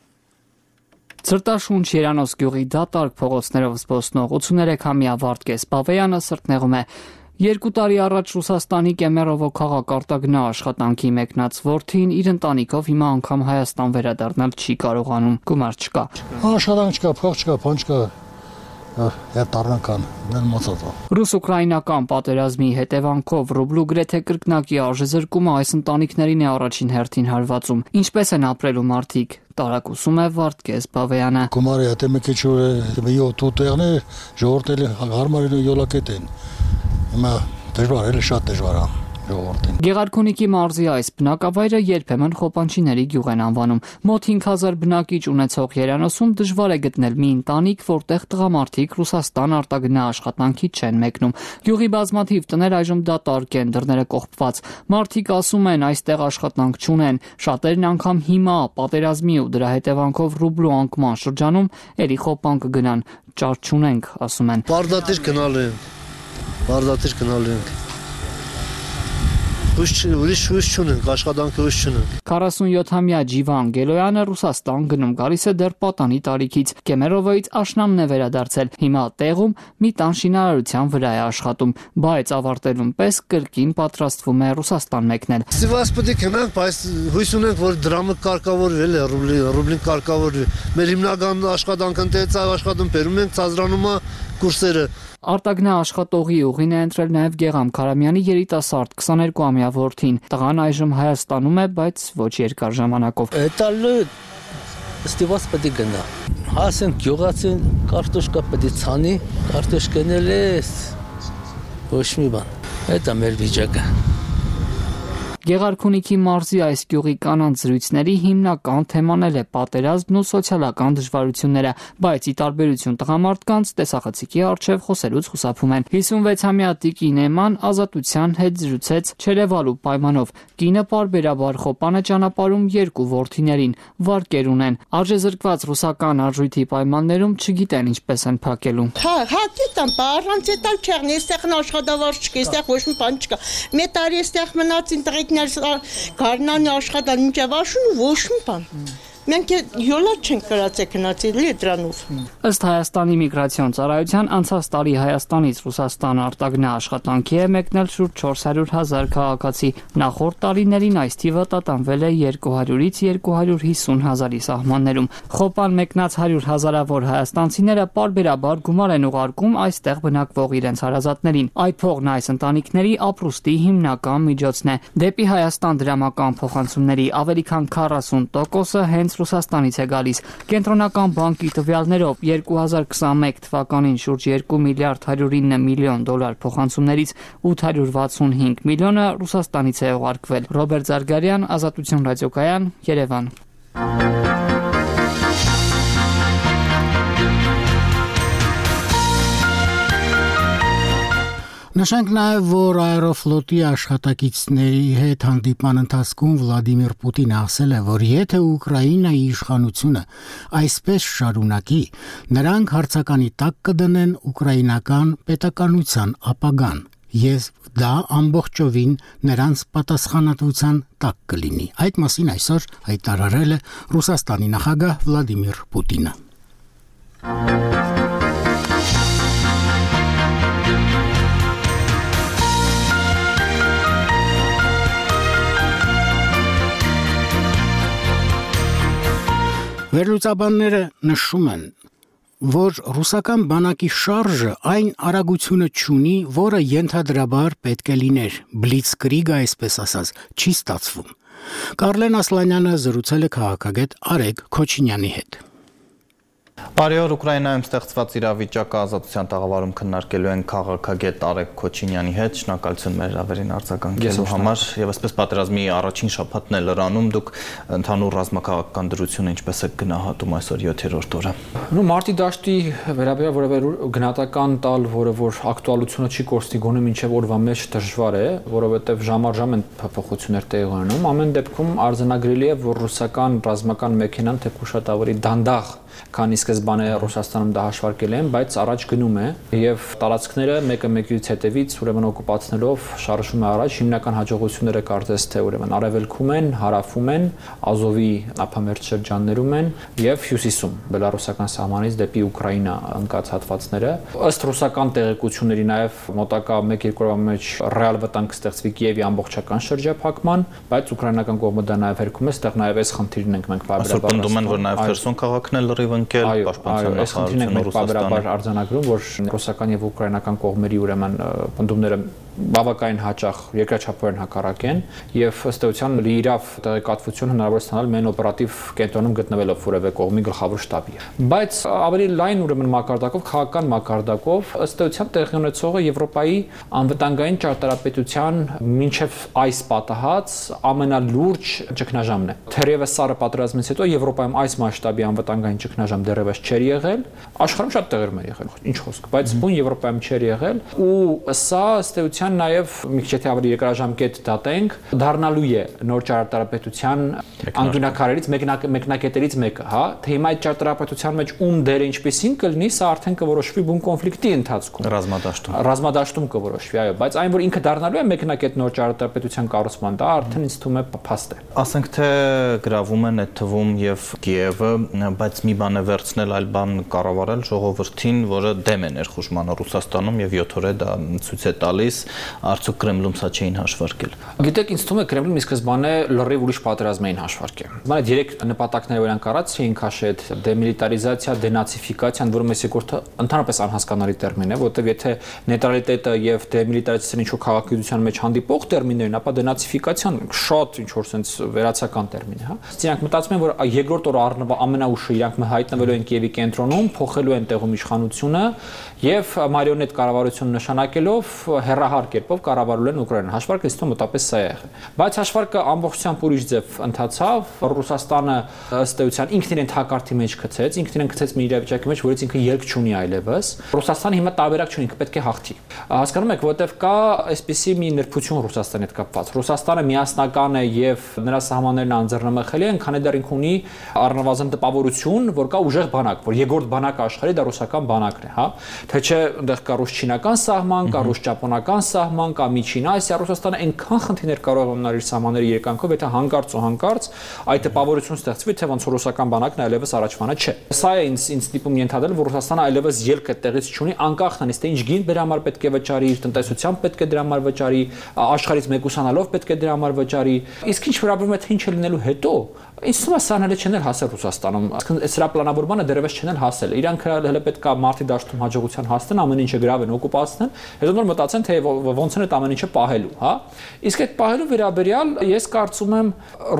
Ցրտաշունչ Երանոս գյուղի դատարկ փողոցներով զբոսնող 83-ամյա Վարդգես Բավեյանը սրտնեղում է 2 տարի առաջ Ռուսաստանի Կեմերովո քաղաք արտագնա աշխատանքի մեկնած որդին իր ընտանիքով հիմա անգամ Հայաստան վերադառնալ չի կարողանում, գումար չկա։ Աշխատանք չկա, փող չկա, բան չկա։ Ռուս-ուկրաինական պատերազմի հետևանքով ռուբլու գրեթե կրկնակի արժեզրկումը այս ընտանիքներին է առաջին հերթին հարվածում։ Ինչպես են ապրելու մարդիկ, տարակուսում է Վարդգես Բավեյանը։ Գումարը հետո մի քիչ տուտեղն է, ժողովրդը հարմարելու յոլակետ են։ Հիմա դժվար է, շատ դժվար է։ Գեղարքունիքի մարզի այս բնակավայրը երբեմն Խոպանչիների գյուղ են անվանում։ Մոտ 5000 բնակիչ ունեցող Երանոսում դժվար է գտնել մի ընտանիք, որտեղ տղամարդիկ Ռուսաստան արտագնա աշխատանքի չեն մեկնում։ Գյուղի բազմաթիվ տներ այժմ դատարկ են, դռները կողպված։ Մարդիկ ասում են այստեղ աշխատանք չունեն, շատերն անգամ հիմա պատերազմի ու դրա հետևանքով ռուբլու անկման շրջանում էլի Խոպան կգնան, ճար չունենք, ասում են։ Բարդատիր գնալու ենք։ ուրիշ հույս չունենք, աշխատանքի հույս չունենք։ 47-ամյա Ջիվան Գելոյանը Ռուսաստան գնում գալիս է դեռ պատանի տարիքից։ Կեմերովոյից աշնանն է վերադարձել։ Հիմա տեղում մի տան շինարարության վրա է աշխատում, բայց ավարտելուն պես կրկին պատրաստվում է Ռուսաստան մեկնել։ Սիվասպետի կենանք, բայց հույս ունենք, որ դրամը կարգավորվել է, ռուբլին կարգավորվի։ Մեր հիմնական աշխատանքը ընթերցավ աշխատում, բերում ենք ծազրանում կուրսերը։ Արտագնա աշխատողի ուղին է ընտրել նաև Գեգամ Քարամյանի երիտասարդ 22-ամյա որդին։ Տղան այժմ Հայաստանում է, բայց ոչ երկար ժամանակով։ Տալը ստիվաս պետք է գնա։ Հասեն գյուղացին կարտոշկա պետք է ցանի, կարտոշկանել է ոչ մի բան։ Դա մեր վիճակը։ Գեղարքունիքի մարզի այս գյուղի կանանց զրույցների հիմնական թեման է պատերազմն ու սոցիալական դժվարությունները, բայց ի տարբերություն տղամարդկանց տեսախցիկի առջև խոսելուց խուսափում են։ 56-ամյա Տիկին Էման ազատության հետ զրուցեց չերևալու պայմանով։ Կինը պարբերաբար խոպան է ճանապարհում երկու որդիներին, վարկեր ունեն։ Արժեզրկված ռուսական արժույթի պայմաններում չգիտեն ինչպես են փակելու։ Հա, գիտեմ, առանց էտալ չեղն, այստեղ աշխատավարձ չկա, այստեղ ոչ մի բան չկա։ Մի տարի այստեղ մնացին տղեկ Գարնանի աշխատան մինչև աշուն ու ոչ մի բան։ Մենք յոլա չենք կրացել գնացել դրանով։ Ըստ Հայաստանի միգրացիոն ծառայության անցած տարի Հայաստանից Ռուսաստան արտագնա աշխատանքի է մեկնել շուրջ 400,000 քաղաքացի։ Նախորդ տարիներին այս թիվը տատանվել է 200-ից 250,000-ի սահմաններում։ Խոպան մեկնած 100,000-ավոր հայաստանցիները պարբերաբար գումար են ուղարկում այստեղ բնակվող իրենց հարազատներին։ Այդ փողն այս ընտանիքների ապրուստի հիմնական միջոցն է։ Դեպի Հայաստան դրամական փոխանցումների ավելի քան 40%-ը հենց Ռուսաստանից է գալիս։ Կենտրոնական բանկի տվյալներով 2021 թվականին շուրջ 2 միլիարդ 109 միլիոն դոլար փոխանցումներից 865 միլիոնը Ռուսաստանից է ուղարկվել։ Ռոբերտ Զարգարյան, Ազատություն ռադիոկայան, Երևան։ Նշենք նաև, որ Աերոֆլոտի աշխատակիցների հետ հանդիպման ընթացքում Վլադիմիր Պուտինը ասել է, որ եթե Ուկրաինայի իշխանությունը այսպես շարունակի, նրանք հարցականի տակ կդնեն ուկրաինական պետականության ապագան, եւ դա ամբողջովին նրանց պատասխանատվության տակ կլինի։ Այդ մասին այսօր հայտարարել է Ռուսաստանի նախագահ Վլադիմիր Պուտինը։ Վերլուծաբանները նշում են, որ ռուսական բանակի շարժը այն արագությունը չունի, որը ենթադրաբար պետք է լիներ, բլիցկրիգը այսպես ասած, չի ստացվում։ Կարլեն Ասլանյանը զրուցել է քաղաքագետ Արեգ Քոչինյանի հետ։ Բարի օր, Ուկրաինայում ստեղծված իրավիճակը ազատության տաղավարում քննարկելու են քաղաքագետ Արեգ Քոչինյանի հետ։ Շնորհակալություն մեր ավերին արձագանքելու համար եւ այսպես պատերազմի առաջին շաբաթն է լրանում, դուք ընդհանուր ռազմաքաղաքական դրությունը ինչպես եք գնահատում այսօր 7-րդ օրը։ Մարտի դաշտի վերաբերյալ որևէ գնահատական տալ, որը որ ակտուալությունը չի կորցնի գոնե մինչև օրվա մեջ դժվար է, որովհետեւ ժամարժամ են փոփոխություններ տեղի ունենում։ Ամեն դեպքում արձանագրելի է, որ ռուսական ռազմական մեքենան թեփու շատ ավելի դանդաղ, քան ի սկզբանե Ռուսաստանում դա հաշվարկել են, բայց առաջ գնում է եւ տարածքները մեկը մեկից հետևից ուրեմն օկուպացնելով շարժվում է առաջ։ Հիմնական հաջողությունները կարծես թե ուրեմն արևելքում են, հարավում են, Ազովի ափամերձ շրջաններում են եւ հյուսիսում բելարուսական սահմանից դեպի Ուկրաինա ընկած հատվածները։ Ըստ ռուսական տեղեկությունների նաեւ մոտակա 1-2 օրվա մեջ ռեալ վտանգ կստեղծվի Կիևի ամբողջական շրջափակման, բայց ուկրաինական կողմը դա նաեւ հերքում է, այստեղ նաեւ այս խնդիրն ենք մենք բարբերաբար։ Պնդում են, որ նաեւ Խերսոն քաղաքն էլ լրիվ ընկել, պաշտպանության նախարարությունը Ռուսաստանը արձանագրում, որ ռուսական եւ ուկրաինական կողմերի ուրեմն պնդումները բավականին հաճախ երկրաչափորեն հակառակ են եւ ըստ էության լիիրավ տեղեկատվություն հնարավոր ստանալ մեն օպերատիվ կենտրոնում գտնվելով որևէ կողմի գլխավոր շտաբի։ Բայց ավելի լայն ուրեմն մակարդակով, քաղաքական մակարդակով ըստ էության տեղի ունեցողը Եվրոպայի անվտանգային ճարտարապետության մինչև այս պատահած ամենալուրջ ճգնաժամն է։ Թերևս սարը պատերազմից հետո Եվրոպայում այս մասշտաբի անվտանգային ճգնաժամ դեռևս չէր եղել, աշխարհում շատ տեղերում է եղել, ինչ խոսք, բայց բուն Եվրոպայում չէր եղել ու սա ըստ էության ճարտարապետության նաև մի քիչ եթե ավելի երկարաժամկետ դատենք, դառնալու է նոր ճարտարապետության անկյունակարերից մեկնակետերից մեկը, հա, թե հիմա այդ ճարտարապետության մեջ ում դերը ինչպեսին կլինի, սա արդեն կորոշվի բուն կոնֆլիկտի ընթացքում։ Ռազմադաշտում կորոշվի, այո, բայց այն որ ինքը դառնալու է մեկնակետ նոր ճարտարապետության կառուցման, դա արդեն ինձ թվում է փաստ է։ Ասենք թե գրավում են այդ թվում եւ Կիևը, բայց մի բան է վերցնել, այլ բան կառավարել ժողովրդին, որը դեմ է ներխուժմանը Ռուսաստանում եւ 7 օր է դա ցույց է տալիս, արդյոք Կրեմլում սա չէին հաշվարկել։ Գիտեք, ինձ թվում է Կրեմլին ի սկզբանե լրիվ ուրիշ պատերազմ էին հաշվարկել։ Մանավանդ 3 նպատակները որ իրենք առած էին քաշել՝ դեմիլիտարիզացիա, դենացիֆիկացիան, որը մեծ երկրորդը ընդհանրապես անհասկանալի տերմին է, որտեղ եթե նեյտրալիտետը եւ դեմիլիտարիզացիան ինչ-որ քաղաքականության մեջ հանդիպող տերմիններ են, ապա դենացիֆիկացիան շատ ինչ որ sense վերացական տերմին է, հա։ Իրանք մտածում են, որ երկրորդ օրը առնվազն ամենաուշը իրանք հայտնվելու են Կիևի կենտրոնում, փոխելու են տեղում իշխանությունը եւ մարիոնետ կառավարություն նշանակելով հերահար կերպով կառավարել են Ուկրաինան։ Հաշվարկը իստո մոտապես սա է եղել։ Բայց հաշվարկը ամբողջությամբ ուրիշ ձև ընթացավ։ Ռուսաստանը ըստ էության ինքն իրեն թակարդի մեջ գցեց, ինքն իրեն գցեց մի իրավիճակի մեջ, որից ինքը ելք չունի այլևս։ Ռուսաստանը հիմա տարբերակ չունի, ինքը պետք է հաղթի։ Հասկանում եք, որտեվ կա այսպիսի մի նրբություն Ռուսաստանի հետ կապված։ Ռուսաստանը միասնական է եւ նրա սահմաններն անձեռնմխելի են, քանի դեռ ինքը ունի առնվազն տպավորություն, որ կա ուժեղ բանակ, որ երկրորդ բանակը աշխարհի դա ռուսական բանակն է, հա։ Թե չէ այնտեղ կա ռուս-չինական սահման, կա ռուս-ճապոնական սահման, կա Միջին Ասիա, Ռուսաստանը այնքան խնդիրներ կարող է ունենալ իր սահմանների երկանքով, եթե հանկարծ այդ տպավորություն ստեղծվի, թե ոնց ռուսական բանակն այլևս առաջվանը չէ։ Սա է ինձ տիպում ենթադրել, որ Ռուսաստանը այլևս ելք այդտեղից չունի, անկախ նրանից թե ինչ գին դրա համար պետք է վճարի, իր տնտեսությամբ պետք է դրա համար վճարի, աշխարհից մեկուսանալով պետք է դրա համար վճարի։ Իսկ ինչ վերաբերում է թե ինչ է լինելու հետո, ինձ թվում է սա հələ չեն հասել Ռուսաստանում, այսինքն սրա պլանավորմանը դեռևս չեն հասել։ Իրանք հələ պետք է մարտի դաշտում հաջողության հասնեն, ամեն ինչը գրավեն, օկուպացնեն, հետո նոր մտածեն, թե ոնց են այդ ամեն ինչը պահելու, հա։ Իսկ այդ պահելու վերաբերյալ ես կարծում եմ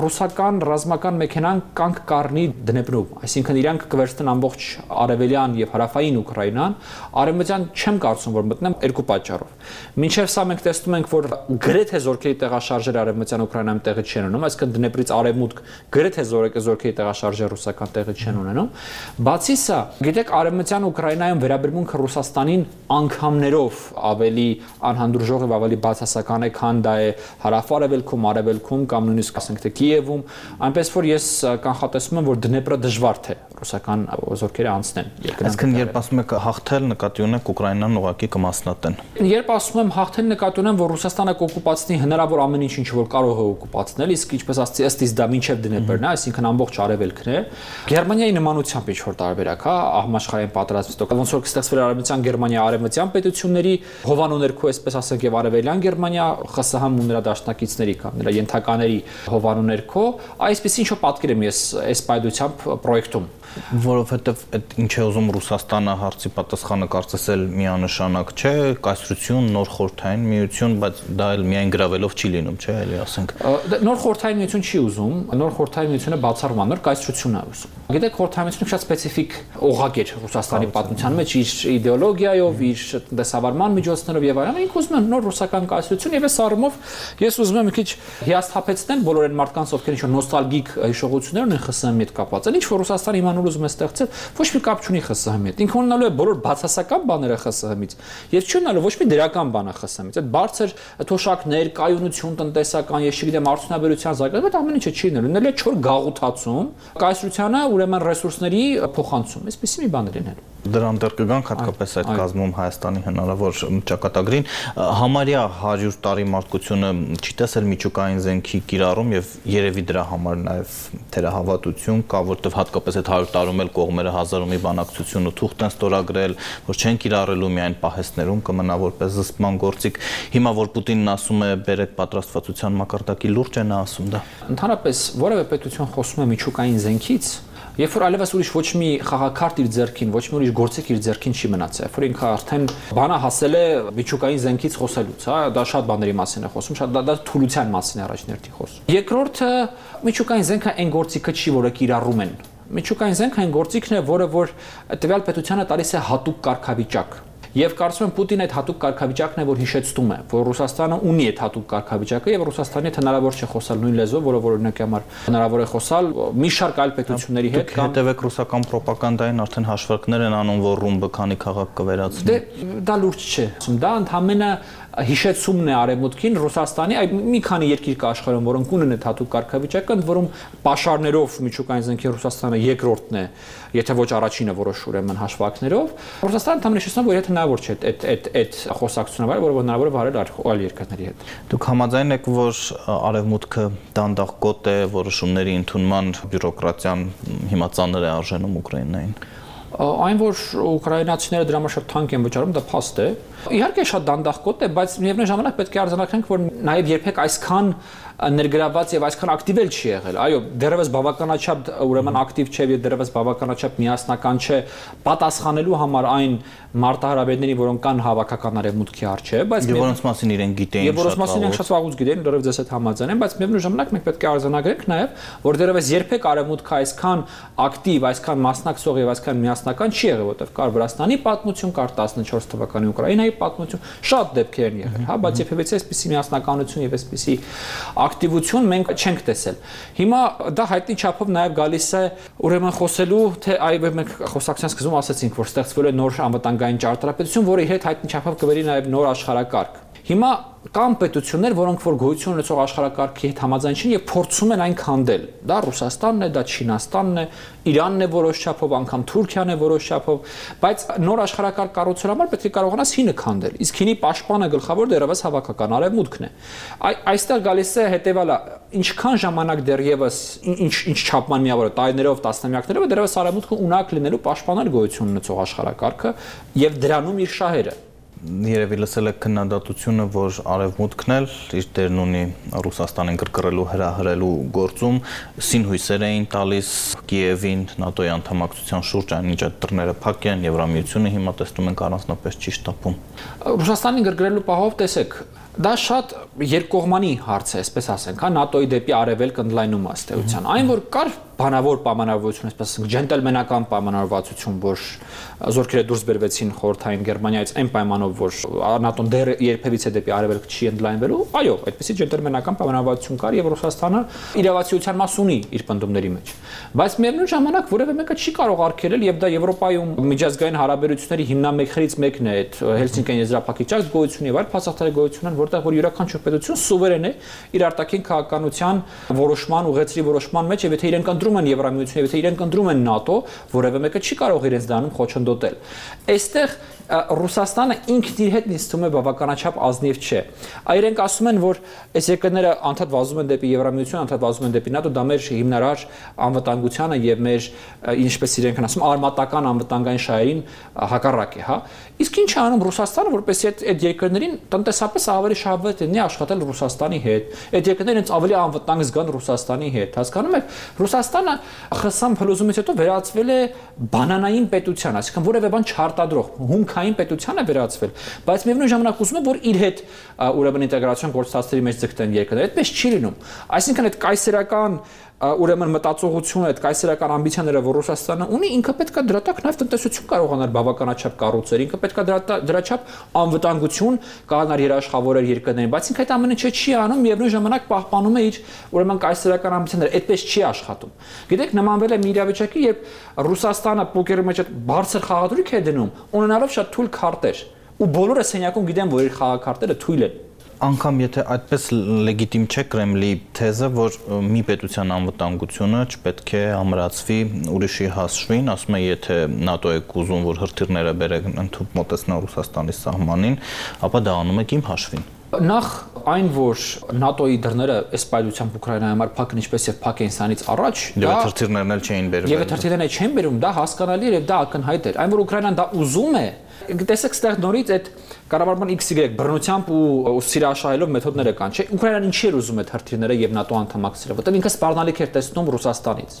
ռուսական ռազմական մեքենան կանգ կառնի դնեպրում, այսինքն իրանք կվերցնեն ամբողջ արևելյան եւ հարավային Ուկրաինան, արևմտյան չեմ կարծում որ մտնեն երկու պատճառով։ Մինչեւ սա մենք տեսնում ենք, որ գրեթե զորքերի տեղաշարժերը արևմտյան Ուկրաինայում տեղի չեն ունենում, այսինքն դնեպրից արևմուտք գրեթե զորքերի տեղաշարժը ռուսական տեղի չեն ունենում։ Բացի սա, գիտեք, արևմտյան Ուկրաինայում վերաբերմունքը Ռուսաստանին անգամներով ավելի անհանդուրժող եւ ավելի բացասական է, քան դա է հարավ-արևելքում կամ նույնիսկ ասենք թե Կիևում, այնպես որ ես կանխատեսում եմ, որ դնեպրը դժվար թե ռուսական զորքերը անցնեն։ Այսինքն երբ ասում եք հաղթել, նկատի ունեք Ուկրաինան ուղղակի կմասնատեն։ Երբ ասում եմ հաղթել, նկատի ունեմ, որ Ռուսաստանը կօկուպացնի հնարավոր ամեն ինչ որ կարող է օկուպացնել, իսկ ինչպես ասացի, ըստ իս դա մինչև դնեպրն է, այսինքն ամբողջ արևելքն է։ Գերմանիայի նմանությամբ ինչ որ տարբերակ, հա, համաշխարհային պատերազմից ոնց որ կստեղծվեր արևմտյան Գերմանիա արևմտյան պետությունների հովանու ներքո, այսպես ասենք, եւ արևելյան Գերմանիա ԽՍՀՄ ու նրա դաշնակիցների կամ նրա ենթակաների հովանու ներքո, այսպես ինչ որ պատկեր եմ ես այս պայդությամբ պրոյեկտում։ Որովհետև այդ ինչ է ուզում Ռուսաստանը հարցի պատասխանը կարծես էլ միանշանակ չէ, կայսրություն, նոր խորհրդային միություն, բայց դա էլ միայն գրավելով չի լինում, չէ, էլի ասենք։ Նոր խորհրդային միություն չի ուզում, նոր խորհրդային միությունը բացառվում, նոր կայսրությունն է ուզում։ Գիտեք, խորհրդային միությունը շատ սպეციფიկ օղակ էր Ռուսաստանի պատմության մեջ իր իդեոլոգիայով, իր տնտեսավարման միջոցներով եւ այլն, ինք ուզում են նոր ռուսական կայսրություն եւ այս առումով ես ուզում եմ մի քիչ հիասթափեցնեմ բոլոր այն մարդկանց, ովքեր ինչ-որ նոստալգիկ հիշողություններ ունեն ԽՍՀՄ-ի հետ կապված։ Ինչ որ Ռուսաստանը իմանալ ուզում է ստեղծել, ոչ մի կապ չունի ԽՍՀՄ-ի հետ։ Ինքը ունենալու է բոլոր բացասական բաները ԽՍՀՄ-ից եւ չի ունենալու ոչ մի դրական բան ԽՍՀՄ-ից։ Այդ բարձր թոշակներ, կայունություն տնտեսական, ես չգիտեմ, արդյունաբերության զարգացում, այդ ամեն ինչը չի լինելու։ Լինելու է չոր գաղութացում, կայսրությանը ուրեմն ռեսուրսների փոխանցում։ Այսպեսի մի բան է լինելու։ Դրան դեռ կգանք հատկապես այդ կազմում Հայաստանի հնարավոր ճակատագրին համարյա 100 տարի մարդկությունը չի տեսել միջուկային զենքի կիրառում եւ երևի դրա համար նաեւ թերահավատություն կա, որտեղ հատկապես այդ 100 տարում էլ կողմերը հազարումի բանակցություն ու թուղթ են ստորագրել, որ չեն կիրառելու միայն պահեստներում կմնա որպես զսպման գործիք։ Հիմա որ Պուտինն ասում է բերեք պատրաստվածության մակարդակի լուրջ է նա ասում դա։ Ընդհանրապես որևէ պետություն խոսում է միջուկային զենքից, երբ որ այլևս ուրիշ ոչ մի խաղակարդ իր ձեռքին, ոչ մի ուրիշ գործիք իր ձեռքին չի մնացել, երբ որ ինքը արդեն բանը հասել է միջուկային զենքից խոսելուց, հա, դա շատ բաների մասին է խոսում, շատ դա թուլության մասին է առաջներթի խոսում։ Երկրորդը միջուկային զենքը այն գործիքը չի, որը կիրառում են։ Միջուկային զենքը այն գործիքն է, որը որ տվյալ պետությանը տալիս է հատուկ կարգավիճակ։ Եվ կարծում եմ Պուտինը այդ հատուկ կարգավիճակն է, որ հիշեցնում է, որ Ռուսաստանը ունի այդ հատուկ կարգավիճակը եւ Ռուսաստանի հետ հնարավոր չէ խոսալ նույն լեզվով, որը օրինակի համար հնարավոր է խոսալ մի շարք այլ պետությունների հետ կամ հետևեք ռուսական ռոպագանդային արդեն հաշվարկներ են անում, որ ռումբը քանի քաղաք կվերացնի։ Դե դա լուրջ չէ։ Դա ընդհանրապես հիշեցումն է արևմուտքին Ռուսաստանի, մի քանի երկիր կա աշխարհում, որոնք ունեն այդ հատուկ կարգավիճակը, ընդ որում պաշարներով միջուկային զենքի Ռուսաստանը երկրորդն է, եթե ոչ առաջինը որոշ ուրեմն հաշվարկներով։ Ռուսաստանը թամին հիշեցնում, որ եթե հնարավոր չէ այդ խոսակցությունը վարել, որը հնարավոր է վարել այլ երկրների հետ։ Դուք համաձայն եք, որ արևմուտքը դանդաղ գոտ է որոշումների ընդունման բյուրոկրատիան հիմա ծանր է արժենում Ուկրաինային։ Այն որ ուկրաինացիները դրա համար շատ թանկ են վճարում, դա փաստ է։ Իհարկե շատ դանդաղ գոտ է, բայց միևնույն ժամանակ պետք է արձանագրենք, որ նաև երբեք այսքան ներգրաված եւ այսքան ակտիվ էլ չի եղել։ Այո, դեռևս բավականաչափ ուրեմն ակտիվ չէ եւ դեռևս բավականաչափ միասնական չէ պատասխանելու համար այն մարտահրավերներին, որոնք կան հավաքական արևմուտքի առջև, բայց որոնց մասին իրենք գիտեին, եւ որոնց մասին իրենք շատ վաղուց գիտեին, դեռևս ես այդ համաձայն եմ, բայց միևնույն ժամանակ մենք պետք է արձանագրենք նաեւ, որ դեռևս երբեք արևմուտքը այսքան ակտիվ, այսքան մասնակցող եւ այսքան միասնական չի եղել, որտեղ կար Վրաստանի պատմություն, կար 14 թվականի Ուկրաինայի պատմություն, շատ դեպքեր են եղել, հա, բայց երբևէ այսպիսի միասնականություն եւ այսպիսի ակտիվություն մենք չենք տեսել։ Հիմա դա հայտնի չափով նաև գալիս է ուրեմն խոսելու, թե այ մենք խոսակցության սկզբում ասացինք, որ ստեղծվել է նոր անվտանգային ճարտարապետություն, որը իր հետ հայտնի չափով կբերի նաև նոր աշխարհակարգ։ Հիմա կան պետություններ, որոնք որ գոյություն ունեցող աշխարհակարգի հետ համաձայն չեն եւ փորձում են այն քանդել։ Դա Ռուսաստանն է, դա Չինաստանն է, Իրանն է որոշ չափով, անգամ Թուրքիան է որոշ չափով, բայց նոր աշխարհակարգ կառուցելու համար պետք է կարողանաս հինը քանդել։ Իսկ հինի պաշտպանը գլխավոր դեռևս հավաքական արևմուտքն է։ Այստեղ գալիս է հետեւալը, ինչքան ժամանակ դեռևս ինչ չափման միավոր է, տարիներով, տասնամյակներով դեռևս արևմուտքը ունակ լինելու պաշտպանել գոյություն ունեցող աշխարհակարգը եւ դրանում իր շահերը։ Երևի լսել եք քննադատությունը, որ արևմուտքն էլ իր դերն ունի Ռուսաստանին կրկռելու, հրահրելու գործում, սինհույսեր էին տալիս Կիևին ՆԱՏՕ-ի անդամակցության շուրջ, այնինչ այդ դռները փակ են, Եվրամիությունը հիմա տեսնում ենք առանձնապես չի շտապում։ Ռուսաստանին կրկռելու պահով տեսեք, դա շատ երկկողմանի հարց է, այսպես ասենք, հա, ՆԱՏՕ-ի դեպի արևելք ընդլայնումը ըստ էության։ Այն որ կար բանավոր պայմանավորվածություն, այսպես ասենք, ջենտլմենական պայմանավորվածություն, որ զորքերը դուրս բերվեցին խորհրդային Գերմանիայից այն պայմանով, որ ՆԱՏՕ-ն դեռ երբևիցե դեպի արևելք չի ընդլայնվելու, այո, այդպեսի ջենտլմենական պայմանավորվածություն կար եւ Ռուսաստանը իրավացիության մաս ունի իր պնդումների մեջ։ Բայց միևնույն ժամանակ որևէ մեկը չի կարող արգելել եւ դա Եվրոպայում միջազգային հարաբերությունների հիմնամեքրից մեկն է այդ Հելսինկիան եզրափակիչած գոյություն եւ այլ փաստաթղթերի գոյություն են, որտեղ որ յուրաքանչյուր պետություն սուվերեն է իր արտաքին քաղաքականության որոշման, ուղեցրի որոշման մեջ եւ եթե իրենք ընտրում են Եվրամիություն եւ եթե իրենք ընտրում են ՆԱՏՕ, որևէ մեկը չի կարող իրենց դանում խոչընդոտել։ Այստեղ Ռուսաստանը ինքն իր հետ նստում է բավականաչափ ազնիվ չէ։ Այրենք ասում են, որ այս երկրները անդադ վազում են դեպի Եվրամիություն, անդադ վազում են դեպի ՆԱՏՕ, դա մեր հիմնարար անվտանգությանը եւ մեր ինչպես իրենք են ասում, արմատական անվտանգային շահերին հակառակ է, հա։ Իսկ ինչ է անում Ռուսաստանը, որպեսզի այդ երկրներին տնտեսապես ավելի շահավետ լինի աշխատել Ռուսաստանի հետ։ Այդ երկրները ինձ ավելի անվտանգ զգան Ռուսաստանի հետ։ Հասկանում եք, Ռուսաստանը ԽՍՀՄ փլուզումից հետո վերածվել է բանանային պետության, այսինքն որևէ բան չարտադրող, հումքային պետության է վերածվել, բայց միևնույն ժամանակ ուզում է, որ իր հետ ուրեմն ինտեգրացիոն գործընթացների մեջ ձգտեն երկրները։ Այդպես չի լինում։ Այսինքն այդ կայսերական ուրեմն մտածողությունը, այդ կայսերական ամբիցիաները, որ Ռուսաստանը ունի, ինքը պետք է դրա տակ նաև տնտեսություն կարողանալ բավականաչափ կառուցել, ինքը պետք է դրա չափ անվտանգություն կարողանալ երաշխավորել երկրներին, բայց ինքը այդ ամենը չի անում, միևնույն ժամանակ պահպանում է իր ուրեմն կայսերական ամբիցիաները, այդպես չի աշխատում։ Գիտեք, նմանվել է մի իրավիճակի, երբ Ռուսաստանը պոկերի մեջ այդ բարձր խաղադրույք է դնում, ունենալով շատ թույլ քարտեր, ու բոլորը սենյակում գիտեն, որ իր խաղաքարտերը թույլ են։ Անկամ եթե այդպես լեգիտիմ չէ Կրեմլի թեզը, որ մի պետության անվտանգությունը չպետք է ամրացվի ուրիշի հասշվին, ասում է, եթե ՆԱՏՕ-ը ուզում, որ հրթիռները բերեն ընդհանուր մոտեցնեն Ռուսաստանի սահմանին, ապա դա անում եք իմ հաշվին։ Նախ այն, որ ՆԱՏՕ-ի դռները այս պայծությամբ Ուկրաինայի համար փակ են, ինչպես եւ փակ էին սրանից առաջ, դա հրթիռներն էլ չէին բերում։ Եվ հրթիռներն չէին բերում, դա հասկանալի էր եւ դա ակնհայտ էր։ Այն, որ Ուկրաինան դա ուզում է, տեսեք, ստեղ նորից այդ կառավարման XY բռնությամբ ու սիրաշահելով մեթոդները կան, չէ՞։ Ուկրաինան ինչի էր ուզում այդ հրթիռները եւ ՆԱՏՕ անդամակցելը, որտեղ ինքը սպառնալիք էր տեսնում Ռուսաստանից։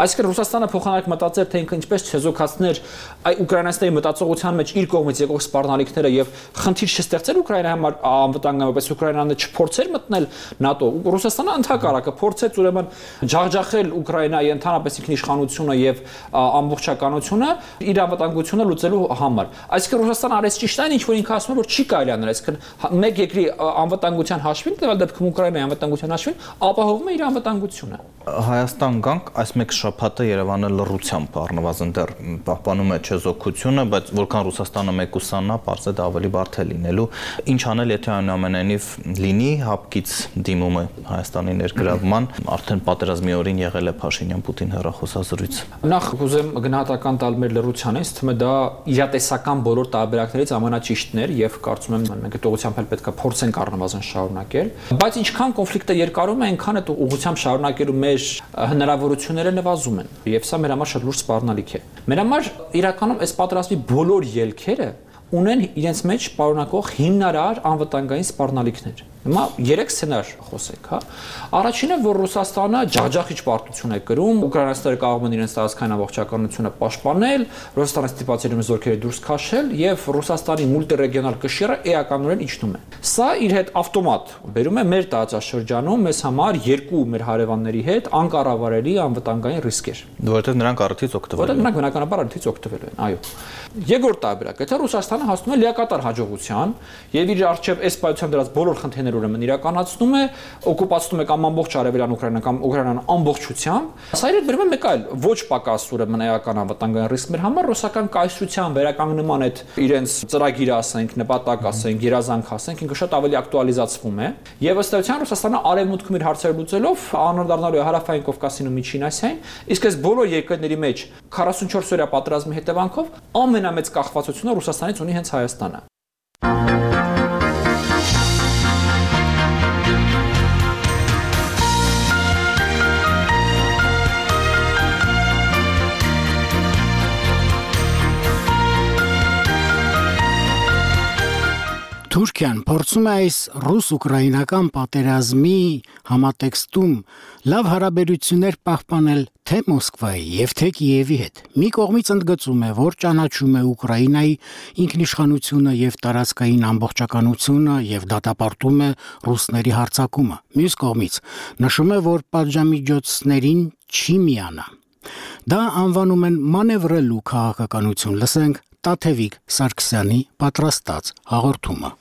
Այսինքն Ռուսաստանը փոխանակ մտածել, թե ինքը ինչպես չեզոքացներ այ ուկրաինացիների մտածողության մեջ իր կողմից եկող սպառնալիքները եւ խնդիր չստեղծել Ուկրաինայի համար անվտանգ, որպես Ուկրաինան Ռուսաստանը չփորձեր մտնել ՆԱՏՕ, Ռուսաստանը ընդհակառակը փորձեց ուրեմն ջախջախել Ուկրաինայի ընդհանրապես ինքնիշխանությունը եւ ամբողջականությունը իր անվտանգությունը լուծելու համար։ Այսինքն Ռուսաստանը արեց ճիշտ այն, ինչ որ ինքը ասում է, որ չի կարելի անել, այսինքն մեկ երկրի անվտանգության հաշվին, տվյալ դեպքում Ուկրաինայի անվտանգության հաշվին ապահովում է իր անվտանգությունը։ Հայաստան գանք այս մեկ շաբաթը Երևանը լռությամբ առնվազն դեռ պահպանում է չեզոքությունը, բայց որքան Ռուսաստանը մեկուսանա, պարզ է դա ավելի բարդ է լինելու։ Ինչ անել, եթե այնուամենայնիվ լինի հապկից դիմումը Հայաստանի ներգրավման, արդեն պատերազմի օրին եղել է Փաշինյան-Պուտին հեռախոսազրույց։ Նախ կուզեմ գնահատական տալ մեր լռությանից, թվում է դա իրատեսական բոլոր տարբերակներից ամենաճիշտն էր եւ կարծում եմ մենք այդ ուղղությամբ էլ պետք է փորձենք առնվազն շարունակել, բայց ինչքան կոնֆլիկտը երկարում է, այնքան այդ ուղղությամբ շարունակելու մեր հնարավորությունները նվազում են եւ սա մեր համար շատ լուրջ սպառնալիք է։ Մեր համար իրականում այս պատերազմի բոլոր ելքերը ունեն իրենց մեջ պարունակող հիմնարար անվտանգային սպառնալիքներ։ Հիմա 3 սցենար խոսենք, հա։ Առաջինը, որ Ռուսաստանը ջախջախիչ պարտություն է կրում, ուկրաինացիները կարող են իրենց տարածքային ամբողջականությունը պաշտպանել, Ռուսաստանը ստիպված է զորքերը դուրս քաշել եւ Ռուսաստանի մուլտիրեգիոնալ կշիռը էականորեն իջնում է։ Սա իր հետ ավտոմատ բերում է մեր տարածաշրջանում մեզ համար երկու մեր հարևանների հետ անկառավարելի անվտանգային ռիսկեր, որովհետեւ նրանք առիթից օգտվելու են։ Որովհետեւ նրանք բնականաբար առիթից օգտվելու են, այո։ Երկրորդ տարբերակը, եթե Ռուսաստանը հասնում է լիակատար հաջողության եւ իր արժեվ այս պայությամբ դրած բոլոր խնդիրները ուրեմն իրականացնում է, օկուպացնում է կամ ամբողջ արևելյան Ուկրաինան կամ Ուկրաինան ամբողջությամբ, սա իր բերում է մեկ այլ ոչ պակաս ուրեմն էական անվտանգային ռիսկ մեր համար ռուսական կայսրության վերականգնման այդ իրենց ծրագիրը, ասենք, նպատակ, ասենք, երազանք, ասենք, ինքը շատ ավելի ակտուալիզացվում է եւ ըստ էության Ռուսաստանը արևմուտքում իր հարցերը լուծելով անդրադառնալու է հարավային Կովկասին ու Միջին Ասիային, իսկ այս բոլոր երկրների մեջ 44 օրյա պատերազմի հետևանքով ամենամեծ կախվածությունը Ռուսաստանից ունի հենց Հայաստանը։ Թուրքիան փորձում է այս ռուս-ուկրաինական պատերազմի համատեքստում լավ հարաբերություններ պահպանել թե Մոսկվայի եւ թե Կիևի հետ։ Մի կողմից ընդգծում է, որ ճանաչում է Ուկրաինայի ինքնիշխանությունը եւ տարածքային ամբողջականությունը եւ դատապարտում է ռուսների հարձակումը։ Մյուս կողմից նշում է, որ պատժամիջոցներին չի միանա։ Դա անվանում են մանևրելու քաղաքականություն։ Լսենք Տաթևիկ Սարգսյանի պատրաստած հաղորդումը։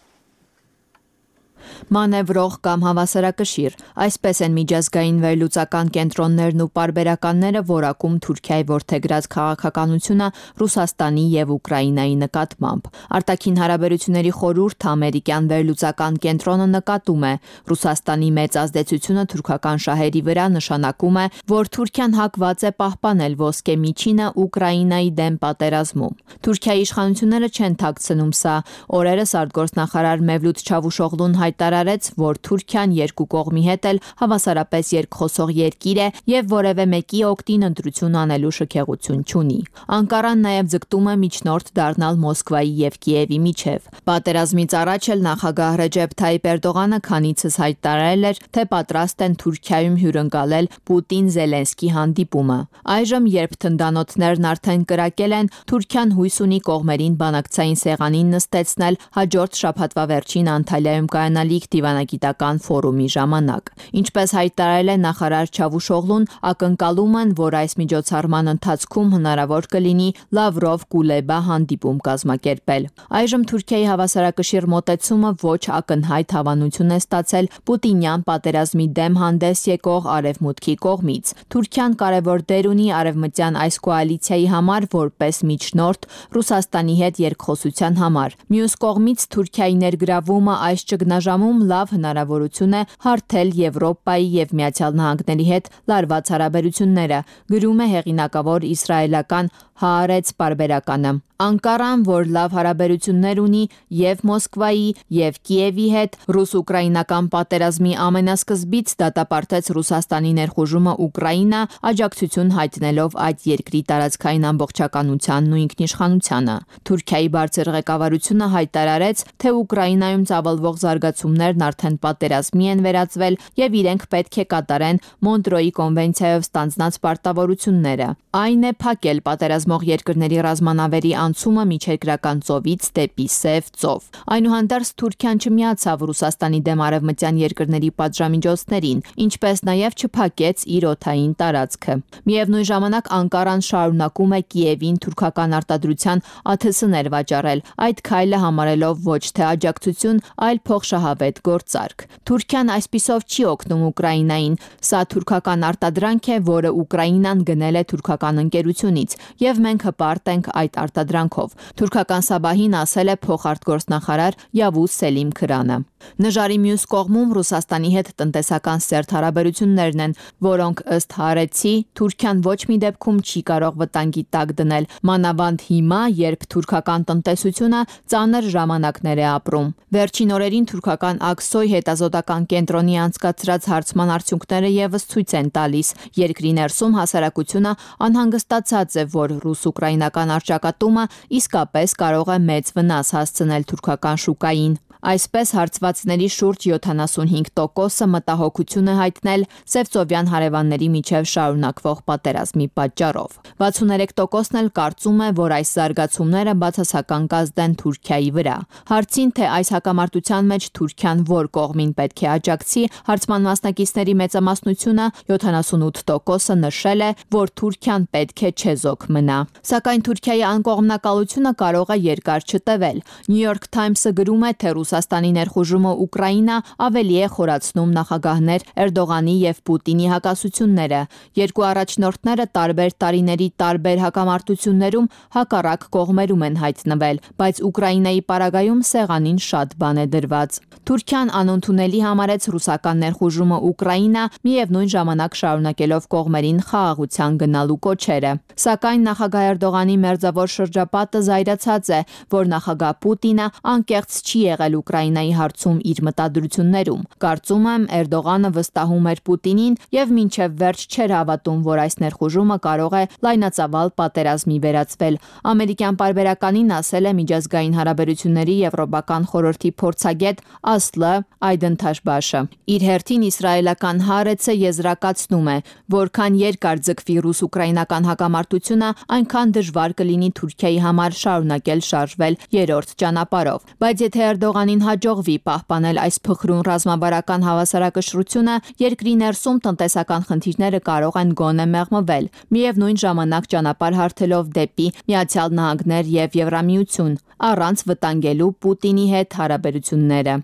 Մանևրող կամ հավասարակշիռ, այսպես են միջազգային վերլուծական կենտրոններն ու պարբերականները որակում Թուրքիայի որդեգրած քաղաքականությունը Ռուսաստանի եւ Ուկրաինայի նկատմամբ։ Արտաքին հարաբերությունների խորհուրդ ամերիկյան վերլուծական կենտրոնը նկատում է, Ռուսաստանի մեծ ազդեցությունը թուրքական շահերի վրա նշանակում է, որ Թուրքիան հակված է պահպանել ոսկե միջինը Ուկրաինայի դեմ պատերազմում։ Թուրքիայի իշխանությունները չեն թաքցնում սա։ Օրերս արտգործնախարար Մևլութ Չավուշօղլուն հայտարարեց, որ Թուրքիան երկու կողմի հետ էլ հավասարապես երկխոսող երկիր է եւ որևէ մեկի օգտին ընտրություն անելու շքեղություն չունի։ Անկարան նաեւ ձգտում է միջնորդ դառնալ Մոսկվայի եւ Կիևի միջև։ Պատերազմից առաջ էլ նախագահ Ռեջեփ Թայիպ Էրդողանը քանիցս հայտարարել էր, թե պատրաստ են Թուրքիայում հյուրընկալել Պուտին-Զելենսկի հանդիպումը։ Այժմ, երբ թնդանոթներն արդեն կրակել են, Թուրքիան հույս ունի կողմերին բանակցային սեղանին նստեցնել հաջորդ շաբաթվա վերջին Անտալիայում կայանալիք դիվանագիտական ֆորումի ժամանակ։ Ինչպես հայտարարել է նախարար Չավուշօղլուն, ակնկալում են, որ այս միջոցառման ընթացքում հնարավոր կլինի Լավրով-Կուլեբա հանդիպում կազմակերպել։ Այժմ Թուրքիայի հավասարակշիռ մոտեցումը ոչ ակնհայտ հավանություն է ստացել Պուտինյան պատերազմի դեմ հանդես եկող Արևմուտքի կողմից։ Թուրքիան կարևոր դեր ունի արևմտյան այս կոալիցիայի համար որպես միջնորդ Ռուսաստանի հետ երկխոսության համար։ Մյուս կողմից Թուրքիայի ներգրավումը այս ճգնաժամում լավ հնարավորություն է հարթել Եվրոպայի եւ Միացյալ Նահանգների հետ լարված հարաբերությունները, գրում է հեղինակավոր իսրայելական Հаарեց պարբերականը։ Անկարան, որ լավ հարաբերություններ ունի եւ Մոսկվայի եւ Կիևի հետ, ռուս-ուկրաինական պատերազմի ամենասկզբից դատապարտեց Ռուսաստանի ներխուժումը Ուկրաինա, աջակցություն հայտնելով այդ երկրի տարածքային ամբողջականությանն ու ինքնիշխանությանը։ Թուրքիայի բարձր ղեկավարությունը հայտարարեց, թե Ուկրաինայում ծավալվող զարգացումներ կազմություններն արդեն պատերազմի են վերածվել եւ իրենք պետք է կատարեն Մոնտրոյի կոնվենցիայով ստանձնած պարտավորությունները։ Այն է փակել պատերազմող երկրների ռազմանավերի անցումը միջերկրական ծովից դեպի Սև ծով։ Այնուհանդերձ Թուրքիան չմիացավ Ռուսաստանի դեմ արևմտյան երկրների պատժամիջոցներին, ինչպես նաեւ չփակեց իր օդային տարածքը։ Միևնույն ժամանակ Անկարան շարունակում է Կիևին թուրքական արտադրության ԱԹՍ-ներ վաճառել, այդ քայլը համարելով ոչ թե աջակցություն, այլ փոխշահավետ գործարք։ Թուրքիան այսպիսով չի օգնում Ուկրաինային, սա թուրքական արտադրանք է, որը Ուկրաինան գնել է թուրքական ընկերությունից, եւ մենք հպարտ ենք այդ արտադրանքով։ Թուրքական Սաբահին ասել է փոխարտգործնախարար Yavuz Selim Krանը։ Նժարի մյուս կողմում Ռուսաստանի հետ տնտեսական սերտ հարաբերություններն են, որոնք ըստ Հարեցի Թուրքիան ոչ մի դեպքում չի կարող վտանգի տակ դնել, մանավանդ հիմա, երբ թուրքական տնտեսությունը ծանր ժամանակներ է ապրում։ Վերջին օրերին թուրքական Աքսոյ հետազոտական կենտրոնի անցկացրած հարցման արդյունքները եւս ցույց են տալիս, երկրի ներսում հասարակությունը անհանգստացած է, որ ռուս-ուկրաինական առճակատումը իսկապես կարող է մեծ վնաս հասցնել թուրքական շուկային։ Այսպես հարցվածների շուրջ 75%-ը մտահոգություն է հայտնել Սևծովյան հարևանների միջև շարունակվող պատերազմի պատճառով։ 63%-ն էլ կարծում է, որ այս զարգացումները բացասական կազդեն Թուրքիայի վրա։ Հարցին, թե այս հակամարտության մեջ Թուրքիան որ կողմին պետք է աջակցի, հարցման մասնակիցների մեծամասնությունը 78%-ը նշել է, որ Թուրքիան պետք է չեզոք մնա։ Սակայն Թուրքիայի անկողմնակալությունը կարող է երկար չտևել։ New York Times-ը գրում է, թե Ռուսաստանի ներխուժումը Ուկրաինա ավելի է խորացնում նախագահներ Էրդողանի եւ Պուտինի հակասությունները։ Երկու առաջնորդները տարբեր տարիների տարբեր հակամարտություններում հակառակ կողմերում են հայտնվել, բայց Ուկրաինայի պարագայում սեղանին շատ բան է դրված։ Թուրքիան անընդունելի համարեց ռուսական ներխուժումը Ուկրաինա, միևնույն ժամանակ շարունակելով կողմերին խաղաղության գնալու կոչերը։ Սակայն նախագահ Էրդողանի մերձավոր շրջապատը զայրացած է, որ նախագահ Պուտինը անկեղծ չի եղել Ուկրաինայի հարցում իր մտադրություններում։ Կարծում եմ, Էրդողանը վստահում էր Պուտինին եւ մինչեւ վերջ չէր հավատում, որ այս ներխուժումը կարող է լայնածավալ պատերազմի վերածվել։ Ամերիկյան պարբերականին ասել է միջազգային հարաբերությունների եվրոպական խորհրդի փորձագետ Ասլը Այդենթաշբաշը։ Իր հերթին իսրայելական Հարեցը եզրակացնում է, որքան երկար ձգվի ռուս-ուկրաինական հակամարտությունը, այնքան դժվար կլինի Թուրքիայի համար շարունակել շարժվել երրորդ ճանապարհով։ Բայց եթե Էրդողանին հաջողվի պահպանել այս փխրուն ռազմավարական հավասարակշռությունը, երկրի ներսում տնտեսական խնդիրները կարող են գոնե մեղմվել, միևնույն ժամանակ ճանապարհ հարթելով դեպի Միացյալ Նահանգներ եւ Եվրամիություն, առանց վտանգելու Պուտինի հետ հարաբերությունները։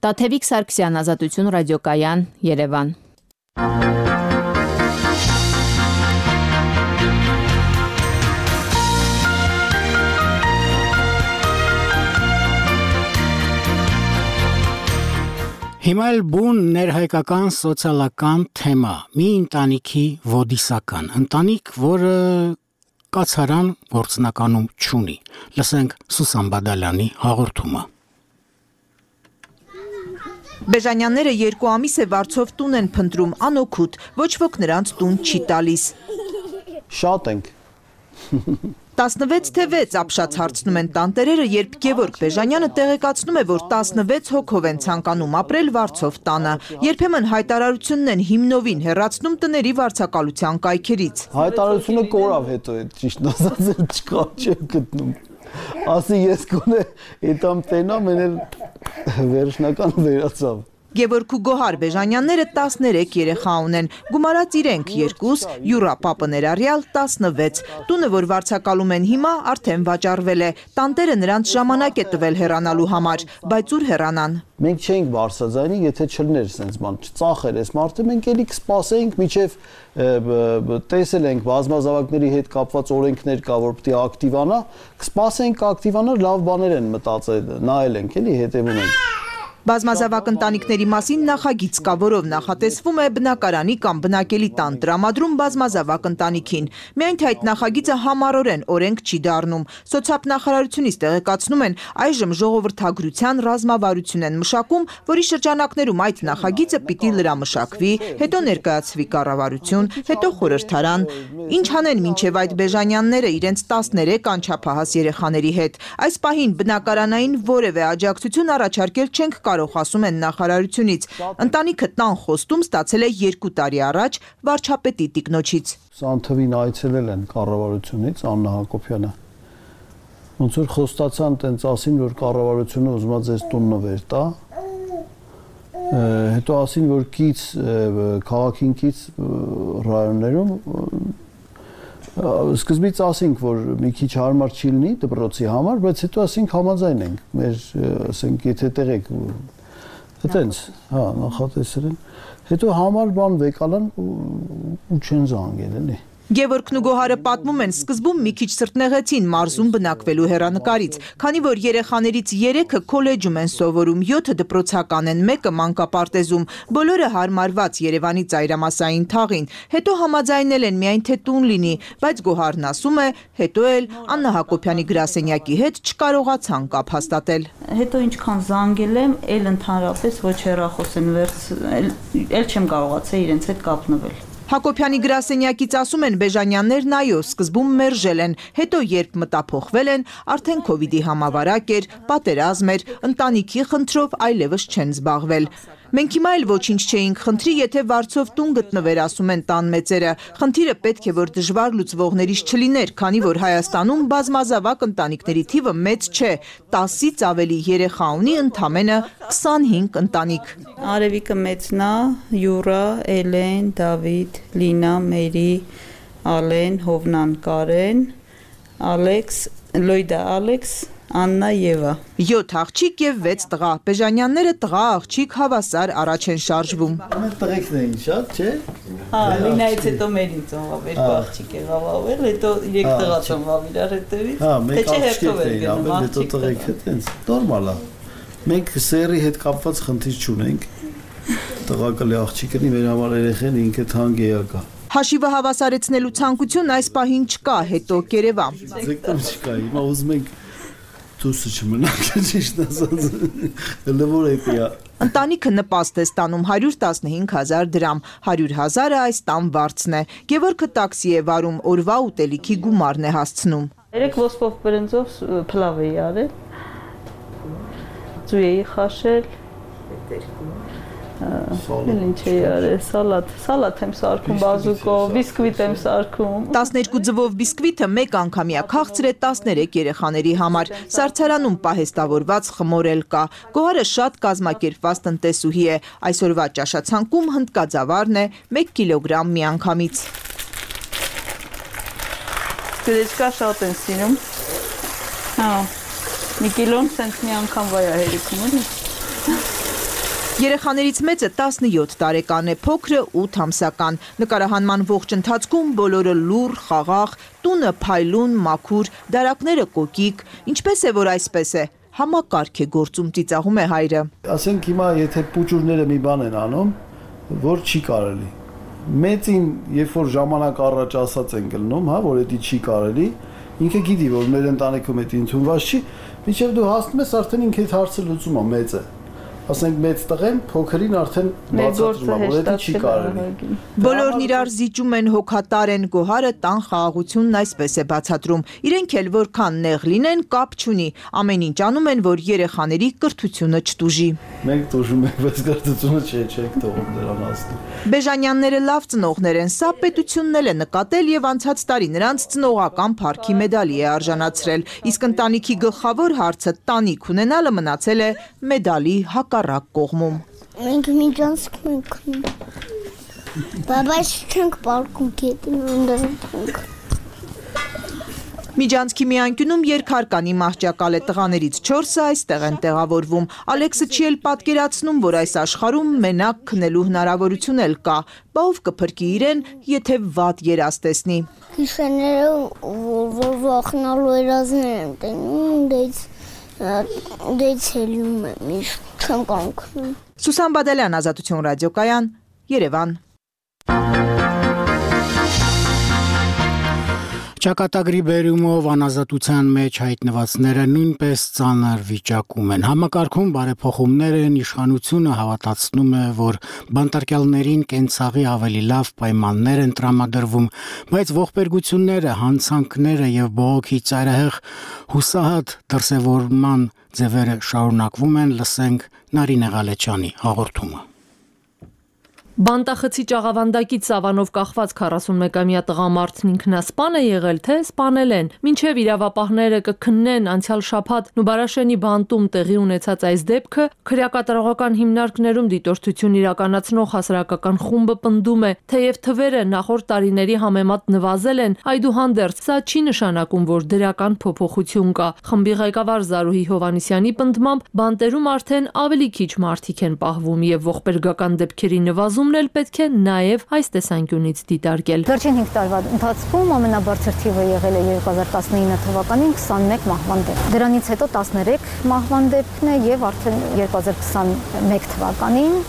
Տաթևիկ Սարգսյան, Ազատություն ռադիոկայան, Երևան։ Հիմա էլ բուն ներհայկական սոցիալական թեմա՝ մի ընտանիքի ոդիսական ընտանիք, որը կացարան գործնականում չունի։ Լսենք Սուսան Բադալյանի հաղորդումը։ Բեժանյանները 2 ամիս է վարձով տուն են փնտրում, անօգուտ, ոչ ոք նրանց տուն չի տալիս։ Շատ ենք։ 16 թե 6 ապշած հարցնում են տանտերերը, երբ Գևորգ Բեժանյանը տեղեկացնում է, որ 16 հոգով են ցանկանում ապրել վարձով տանը։ Երբեմն հայտարարությունն են հիմնովին հեռացնում տների վարձակալության կայքերից։ Հայտարարությունը կորավ հետո է, ճիշտ ասած, չկա, չեմ գտնում։ Ասի ես կոնե այդամ տենամ, են վերջնական վերացավ։ Գևորգ ու Գոհար Բեժանյանները 13 երեխա ունեն, գումարած իրենք 2, Յուրա պապը ներառյալ 16, տունը, որ վարձակալում են հիմա, արդեն վաճառվել է, տանտերը նրանց ժամանակ է տվել հեռանալու համար, բայց ուր հեռանան։ Մենք չենք բարձրաձայնի, եթե չլներ սենց բան, ծախեր այս մարդը, մենք էլի կսպասեինք, միջև տեսել ենք բազմազավակների հետ կապված օրենքներ կա, որ պիտի ակտիվանա, կսպասենք ակտիվանա, լավ բաներ են մտածել, նայել ենք, էլի հետևում ենք։ Բազմազավակ ընտանիքների մասին նախագիծ կա, որով նախատեսվում է բնակարանի կամ բնակելի տան տրամադրում բազմազավակ ընտանիքին։ Միայն թե այդ նախագիծը համառորեն օրենք չի դառնում։ Սոցիալնախարարությունից տեղեկացնում են, այժմ ժողովրդագրության ռազմավարություն են մշակում, որի շրջանակներում այդ նախագիծը պիտի լրամշակվի, հետո ներկայացվի կառավարություն, հետո խորհրդարան։ Ինչ անեն մինչև այդ Բեժանյանները իրենց 13 անչափահաս երեխաների հետ։ Այս պահին բնակարանային որևէ աջակցություն առաջարկել չենք կարող, ասում են նախարարությունից։ Ընտանիքը տան խոստում ստացել է 2 տարի առաջ վարչապետի տիկնոջից։ Սանթվին այցելել են կառավարությունից Աննա Հակոբյանը։ Ոնց որ խոստացան տենց ասին, որ կառավարությունը ուզում է ձեզ տունը վեր տա։ Հետո ասին, որ կից քաղաքին կից ռայոններում սկզբից ասինք, որ մի քիչ հարմար չի լինի դպրոցի համար, բայց հետո ասինք համաձայն ենք։ Մեր, ասենք, եթե տեղեք այտենց, հա, նախատեսել են։ Հետո համար բան վեկալան ու չեն զանգել, էլի։ Գևորգն ու Գոհարը պատմում են, սկզբում մի քիչ սրտնեղեցին մարզում բնակվելու հեռանկարից, քանի որ երեխաներից 3-ը քոլեջում են սովորում, 7-ը դպրոցական են, 1-ը մանկապարտեզում, բոլորը հարմարված Երևանի ծայրամասային թաղին, հետո համաձայնել են միայն թե տուն լինի, բայց Գոհարն ասում է, հետո էլ Աննա Հակոբյանի գրասենյակի հետ չկարողացան կապ հաստատել։ Հետո ինչքան զանգել եմ, էլ ընդհանրապես ոչ հեռախոս են էլ չեմ կարողացել իրենց հետ կապնվել։ Հակոբյանի գրասենյակից ասում են Բեժանյաններն այո, սկզբում մերժել են, հետո երբ մտափոխվել են, արդեն քովիդի համավարակ էր, պատերազմ էր, ընտանիքի խնդրով այլևս չեն զբաղվել։ Մենք հիմա էլ ոչինչ չէինք խնդրի, եթե վարձով տուն գտնվեր, ասում են տան մեծերը։ Խնդիրը պետք է որ դժվար լուծվողներից չլիներ, քանի որ Հայաստանում բազմազավակ ընտանիքների թիվը մեծ չէ, 10-ից ավելի երեխա ունի ընդամենը 25 ընտանիք։ Արևիկը մեծն է, Յուրա, Էլեն, Դավիթ, Լինա, Մերի, Ալեն, Հովնան, Կարեն, Ալեքս, Լոյդա, Ալեքս, Աննա Եվա։ 7 աղջիկ եւ 6 տղա։ Բեժանյանները տղա աղջիկ հավասար առաջ են շարժվում։ Ամեն տղեկն էին շատ, չէ՞։ Հա, Լինայից հետո Մերին ծնվավ, 2 աղջիկ եղավ ավել, հետո 3 տղա ծնվավ իրար հետևից։ Հա, մեկ աղջիկ էին, ամեն հետո տղեքը տենց նորմալ է։ Մենք սերի հետ կապված խնդիր չունենք։ Տղակալի աղջիկնի մեր համար երեխեն ինքը թանկ էակա։ Հաշիվը հավասարեցնելու ցանկություն այս պահին չկա, հետո կերևա։ Ձեկտում չկա, հիմա ուզում ենք դուսը չմնաք, ճիշտ ասած, լվոր էպիա։ Ընտանիքը նպաստ է ստանում 115,000 դրամ, 100,000-ը այս տան վարձն է։ Գևորգը տաքսի է վարում, օրվա ուտելիքի գումարն է հասցնում։ 3 ոսպով բրնձով փլավ էի արել, ձու էի խաշել, ինչ էի արել, սալատ եմ սարքում բազուկով, բիսկվիտ եմ սարքում։ 12 ձվով բիսկվիթը մեկ անգամյա քաղցր է 13 երեխաների համար։ Սառցարանում պահեստավորված խմոր էլ կա։ Գոհարը շատ կազմակերպված տնտեսուհի է։ Այսօրվա ճաշացանկում հնդկաձավարն է 1 կիլոգրամ միանգամից։ Գլեչկա շատ են սիրում։ Հա, մի կիլոն սենց մի անգամ վայ է հերիքում էլի։ Երեխաներից մեծը 17 տարեկան է, փոքրը 8 ամսական։ Նկարահանման ողջ ընթացքում բոլորը լուռ, խաղաղ, տունը փայլուն, մաքուր, դարակները կոկիկ։ Ինչպես է, որ այսպես է, համակարգ է գործում, ծիծաղում է հայրը։ Ասենք հիմա եթե պուճուրները մի բան են անում, որ չի կարելի։ Մեծին, երբ որ ժամանակ առաջ ասած են գլնում, հա, որ դա չի կարելի, ինքը գիտի, որ մեր ընտանիքում դա ընդունված չի, մինչև դու հասնում ես, արդեն ինքը այդ հարցը լուծում է, մեծ է։ Ասենք մեծ տղեն փոքրին արդեն բացատրում է, որ դա չի կարելի։ Բոլորն իրար զիջում են, հոգատար են, Գոհարը տան խաղաղությունն այսպես է բացատրում։ Իրենք էլ որքան նեղ լինեն, կապ չունի, ամեն ինչ անում են, որ երեխաների կրթությունը չտուժի։ Մենք տուժում ենք, բայց կրթությունը չեք թողում դրան ասում։ Բեժանյանները լավ ծնողներ են, սա պետությունն էլ է նկատել եւ անցած տարի նրանց ծնողական փառքի մեդալի է արժանացրել, իսկ ընտանիքի գլխավոր հարցը տանիք ունենալը մնացել է մեդալի հակառակ կողմում։ Մենք միջանցք ենք քնում։ Բայց չենք պարկում գետին։ Միջանցքի մի անկյունում երկհարկանի մահճակալ է, տղաներից 4-ը այստեղ են տեղավորվում։ Ալեքսը չի էլ պատկերացնում, որ այս աշխարհում մենակ քնելու հնարավորություն էլ կա, բա ով կփրկի իրեն, եթե վատ երազ տեսնի։ Գիշերները որ վախնալու երազներ եմ տենում, դից հելում եմ, միշտ չեմ կանգնում։ Սուսան Բադալյան, Ազատություն ռադիոկայան, Երևան։ Ճակատագրի բերումով անազատության մեջ հայտնվածները նույնպես ծանր վիճակում են։ Համակարգում բարեփոխումներ են, իշխանությունը հավատացնում է, որ բանտարկյալներին կենցաղի ավելի լավ պայմաններ են տրամադրվում, բայց ողբերգությունները, հանցանքները եւ բողոքի ծայրահեղ հուսահատ դրսևորման ձևերը շարունակվում են, լսենք Նարինե Ղալեչյանի հաղորդումը։ Բանտախցի ճաղավանդակից սավանով կախված 41-ամյա տղամարդն ինքնասպան է եղել, թե սպանել են։ Մինչև իրավապահները կքննեն անցյալ շաբաթ Նուբարաշենի բանտում տեղի ունեցած այս դեպքը, քրեակատարողական հիմնարկներում դիտորդություն իրականացնող հասարակական խումբը պնդում է, թեև թվերը նախորդ տարիների համեմատ նվազել են, այդուհանդերձ սա չի նշանակում, որ դրական փոփոխություն կա։ Խմբի ղեկավար Զարուհի Հովհաննիսյանի պնդմամբ բանտերում արդեն ավելի քիչ մարդիկ են պահվում եւ ողբերգական դեպքերի նվազում պետք է նաև այս տեսանկյունից դիտարկել։ Վերջին 5 տարվա ընթացքում ամենաբարձր թիվը եղել է 2019 թվականին 21 մահվան դեպք։ Դրանից հետո 13 մահվան դեպքն է եւ արդեն 2021 թվականին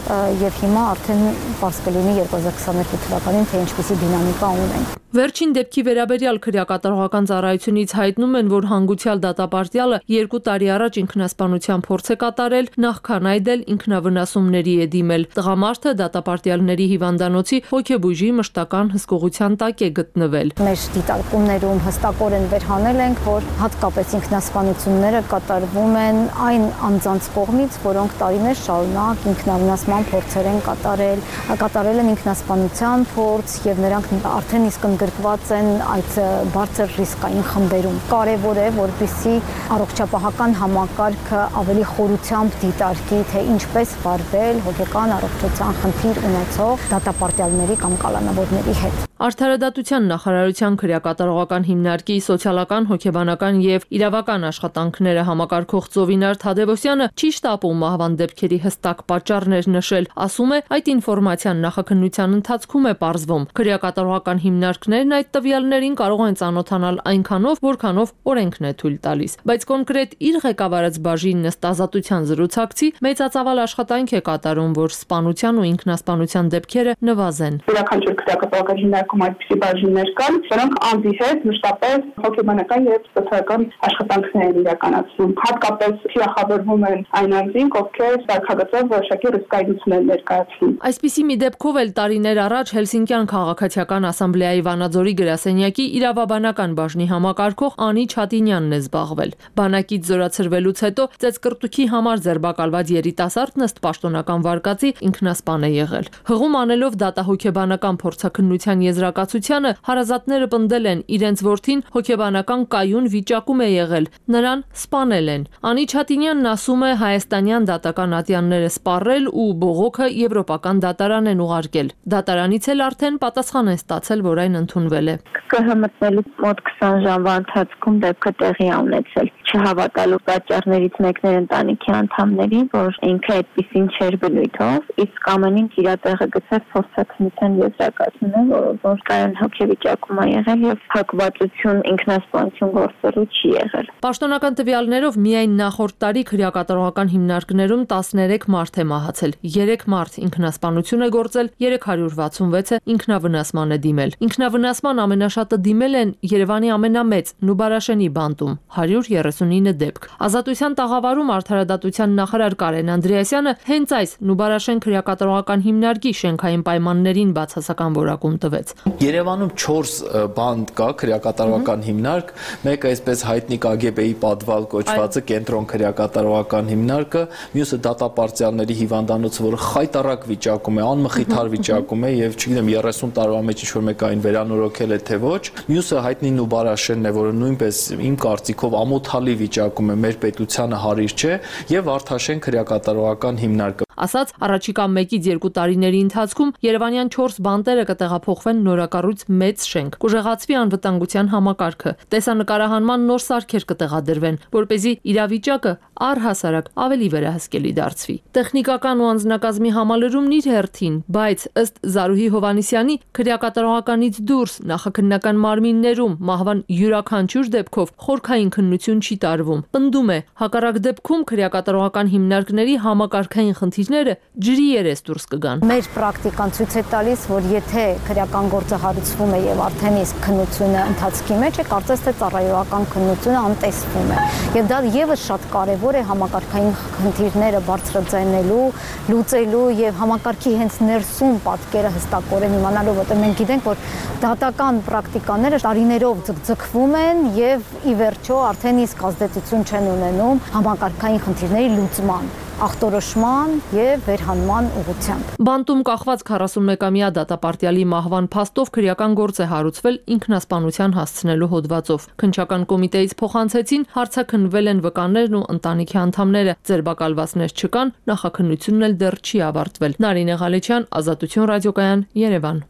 եւ հիմա արդեն պարզ կլինի 2022 թվականին թե ինչպիսի դինամիկա ունենք։ Վերջին դեպքի վերաբերյալ քրեակատարողական ծառայությունից հայտնում են, որ հանգուցյալ դատապարտյալը 2 տարի առաջ ինքնասպանության փորձ է կատարել, նախքան այդ էլ ինքնավնասումների է դիմել։ Տղամարդը դատապարտյալների հիվանդանոցի հոգեբույժի մշտական հսկողության տակ է գտնվել։ Մեր դիտարկումներում հստակորեն վերհանել ենք, որ հատկապես ինքնասպանությունները կատարվում են այն անձանց կողմից, որոնք տարիներ շարունակ ինքնավնասման փորձեր են կատարել են ինքնասպանության փորձ եւ նրանք արդեն իսկ գրկված են այդ բարձր ռիսկային խմբերում։ Կարևոր է, որպեսզի առողջապահական համակարգը ավելի խորությամբ դիտարկի, թե ինչպես վարվել հոգեկան առողջության խնդիր ունեցող դատապարտյալների կամ կալանավորների հետ։ Արդարադատության նախարարության քրեակատարողական հիմնարկի սոցիալական, հոգեբանական եւ իրավական աշխատանքները համակարգող Ծովինար Թադևոսյանը չի շտապում մահվան դեպքերի հստակ պատճառներ նշել, ասում է, այդ ինֆորմացիան նախաքննության ընթացքում է պարզվում։ Քրեակատարողական հիմնարկներն այդ տվյալներին կարող են ծանոթանալ այնքանով, որքանով օրենքն է թույլ տալիս, բայց կոնկրետ իր ղեկավարած բաժինն ըստ ազատության զրուցակցի մեծածավալ աշխատանք է կատարում, որ սպանության ու ինքնասպանության դեպքերը նվազեն։ Յուրաքանչյուր քրեակատարողական հիմնարկում այդպիսի բաժիններ կան, որոնք անձի հետ մշտապես հոգեբանական եւ սոցիալական աշխատանքներ են իրականացնում։ Հատկապես թիրախավորվում են այն անձինք, ովքեր սարքագծով որոշակի ռիսկայնություն են ներկայացնում։ Այսպիսի մի դեպքով էլ տարիներ առաջ Հելսինկյան քաղաքացիական ասամբլեայի Վանաձորի գրասենյակի իրավաբանական բաժնի համակարգող Անի Չատինյանն է զբաղվել։ Բանակից զորացրվելուց հետո ծեծկռտուքի համար ձերբակալված երիտասարդն ըստ պաշտոնական վարկածի ինքնասպան է եղել։ Հղում անելով դատահոգեբանական փորձաքննության եզրակացությանը հարազատները պնդել են իրենց որդին հոգեբանական կայուն վիճակում է եղել, նրան սպանել են։ Անի Չատինյանն ասում է, հայաստանյան դատական ատյանները սպառել ու բողոքը եվրոպական դատարան են ուղարկել։ Դատարանից էլ արդեն պատասխան են ստացել, որ այն ընդունվել է։ ԿՀ մտնելու մոտ 20 ժամվա ընթացքում դեպքը տեղի է ունեցել։ Չհավատալու պատճառներից մեկն էր ընտանիքի անդամներին, որ ինքը այդպեսին չէր բնույթով, իսկ ամեն ինչ իր տեղը գցած փորձաքննության եզրակացնում, որ կայուն հոգեվիճակում է եղել եւ հակվածություն ինքնասպանություն գործելու չի եղել։ Պաշտոնական տվյալներով միայն նախորդ տարի քրեակատարողական հիմնարկներում 13 մարդ է մահացել, 3 մարդ ինքնասպանություն է գործել, 366-ը ինքնավնասման է դիմել։ Ինքնավնասման ամենաշատը դիմել են Երևանի ամենամեծ Նուբարաշենի բանտում 139 դեպք։ Ազատության տաղավարում արդարադատության նախարար Կարեն Անդրեասյանը հենց այս Նուբարաշեն քրեակատարողական հիմնարկի շենքային պայմաններին բացասական որակում տվեց։ Երևանում 4 բանտ կա քրեակատարողական հիմնարկ, մեկը այսպես հայտնի KGB-ի պատվալ կոչվածը կենտրոն քրեակատարողական հիմնարկը, մյուսը դատապարտյալների հիվանդանոցը, որը խայտառակ վիճակում է, անմխիթար վիճակում է եւ չգիտեմ 30 տարվա մեջ ինչ-որ մեկ այն վերանորոգել է թե ոչ, մյուսը հայտնի Նուբարաշենն է, որը նույնպես իմ կարծիքով ամոթալի վիճակում է, մեր պետությանը հարիր չէ, եւ Վարդաշեն քրեակատարողական հիմնարկը։ Ասաց, առաջիկա 1-ից 2 տարիների ընթացքում Երևանյան 4 բանտերը կտեղափոխվեն նորակառույց մեծ շենք, կուժեղացվի անվտանգության համակարգը, տեսանկարահանման նոր սարքեր կտեղադրվեն, որպեսզի իրավիճակը առհասարակ ավելի վերահսկելի դարձվի։ Տեխնիկական ու անձնակազմի համալրումն իր հերթին, բայց ըստ Զարուհի Հովհաննիսյանի քրեակատարողականից դուրս նախաքննական մարմիններում մահվան յուրաքանչյուր դեպքով խորքային քննություն չի տարվում։ Պնդում է, հակառակ դեպքում քրեակատարողական հիմնարկների համակարգային խնդիրներ խնդիրները ջրի երես դուրս կգան։ Մեր պրակտիկան ցույց է տալիս, որ եթե քրեական գործը հարուցվում է եւ արդեն իսկ քննությունը ընթացքի մեջ է, կարծես թե ծառայողական քննությունը անտեսվում է։ Եվ դա եւս շատ կարեւոր է համակարգային խնդիրները բարձրաձայնելու, լուծելու եւ համակարգի հենց ներսում պատկերը հստակորեն իմանալու, որտեղ մենք գիտենք, որ դատական պրակտիկաները տարիներով ձգվում են եւ ի վերջո արդեն իսկ ազդեցություն չեն ունենում համակարգային խնդիրների լուծման, ախտորոշման եւ վերհանման ուղղությամբ։ Բանտում կախված 41-ամյա դատապարտյալի մահվան փաստով քրեական գործ է հարուցվել ինքնասպանության հասցնելու հոդվածով։ Քննչական կոմիտեից փոխանցեցին, հարցաքննվել են վկաներն ու ընտանիքի անդամները, ձերբակալվածներ չկան, նախաքննությունն էլ դեռ չի ավարտվել։ Նարինե Ղալեչյան, Ազատություն ռադիոկայան, Երևան։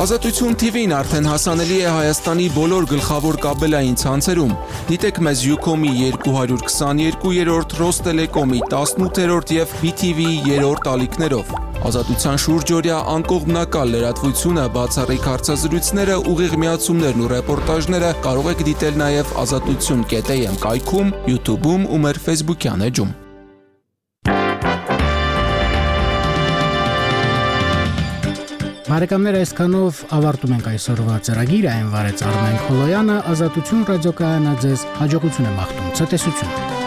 Ազատություն TV-ն արդեն հասանելի է Հայաստանի բոլոր գլխավոր կաբելային ցանցերում։ Դիտեք մեզ Ucom-ի 222-րդ, Ռոստելեկոմի 18-րդ եւ BTV-ի 3-րդ ալիքներով։ Ազատության շուրջօրյա անկողմնակալ լրատվությունը, բացառիկ հարցազրույցները, ուղիղ միացումներն ու ռեպորտաժները կարող եք դիտել նաեւ azatutun.am կայքում, YouTube-ում ու մեր Facebook-յան էջում։ Բարեկամներ, այսքանով ավարտում ենք այսօրվա ծրագիրը, այն վարեց Արմեն Խոլոյանը, Ազատություն ռադիոկայանը ձեզ հաջողություն է մաղթում, ցտեսություն։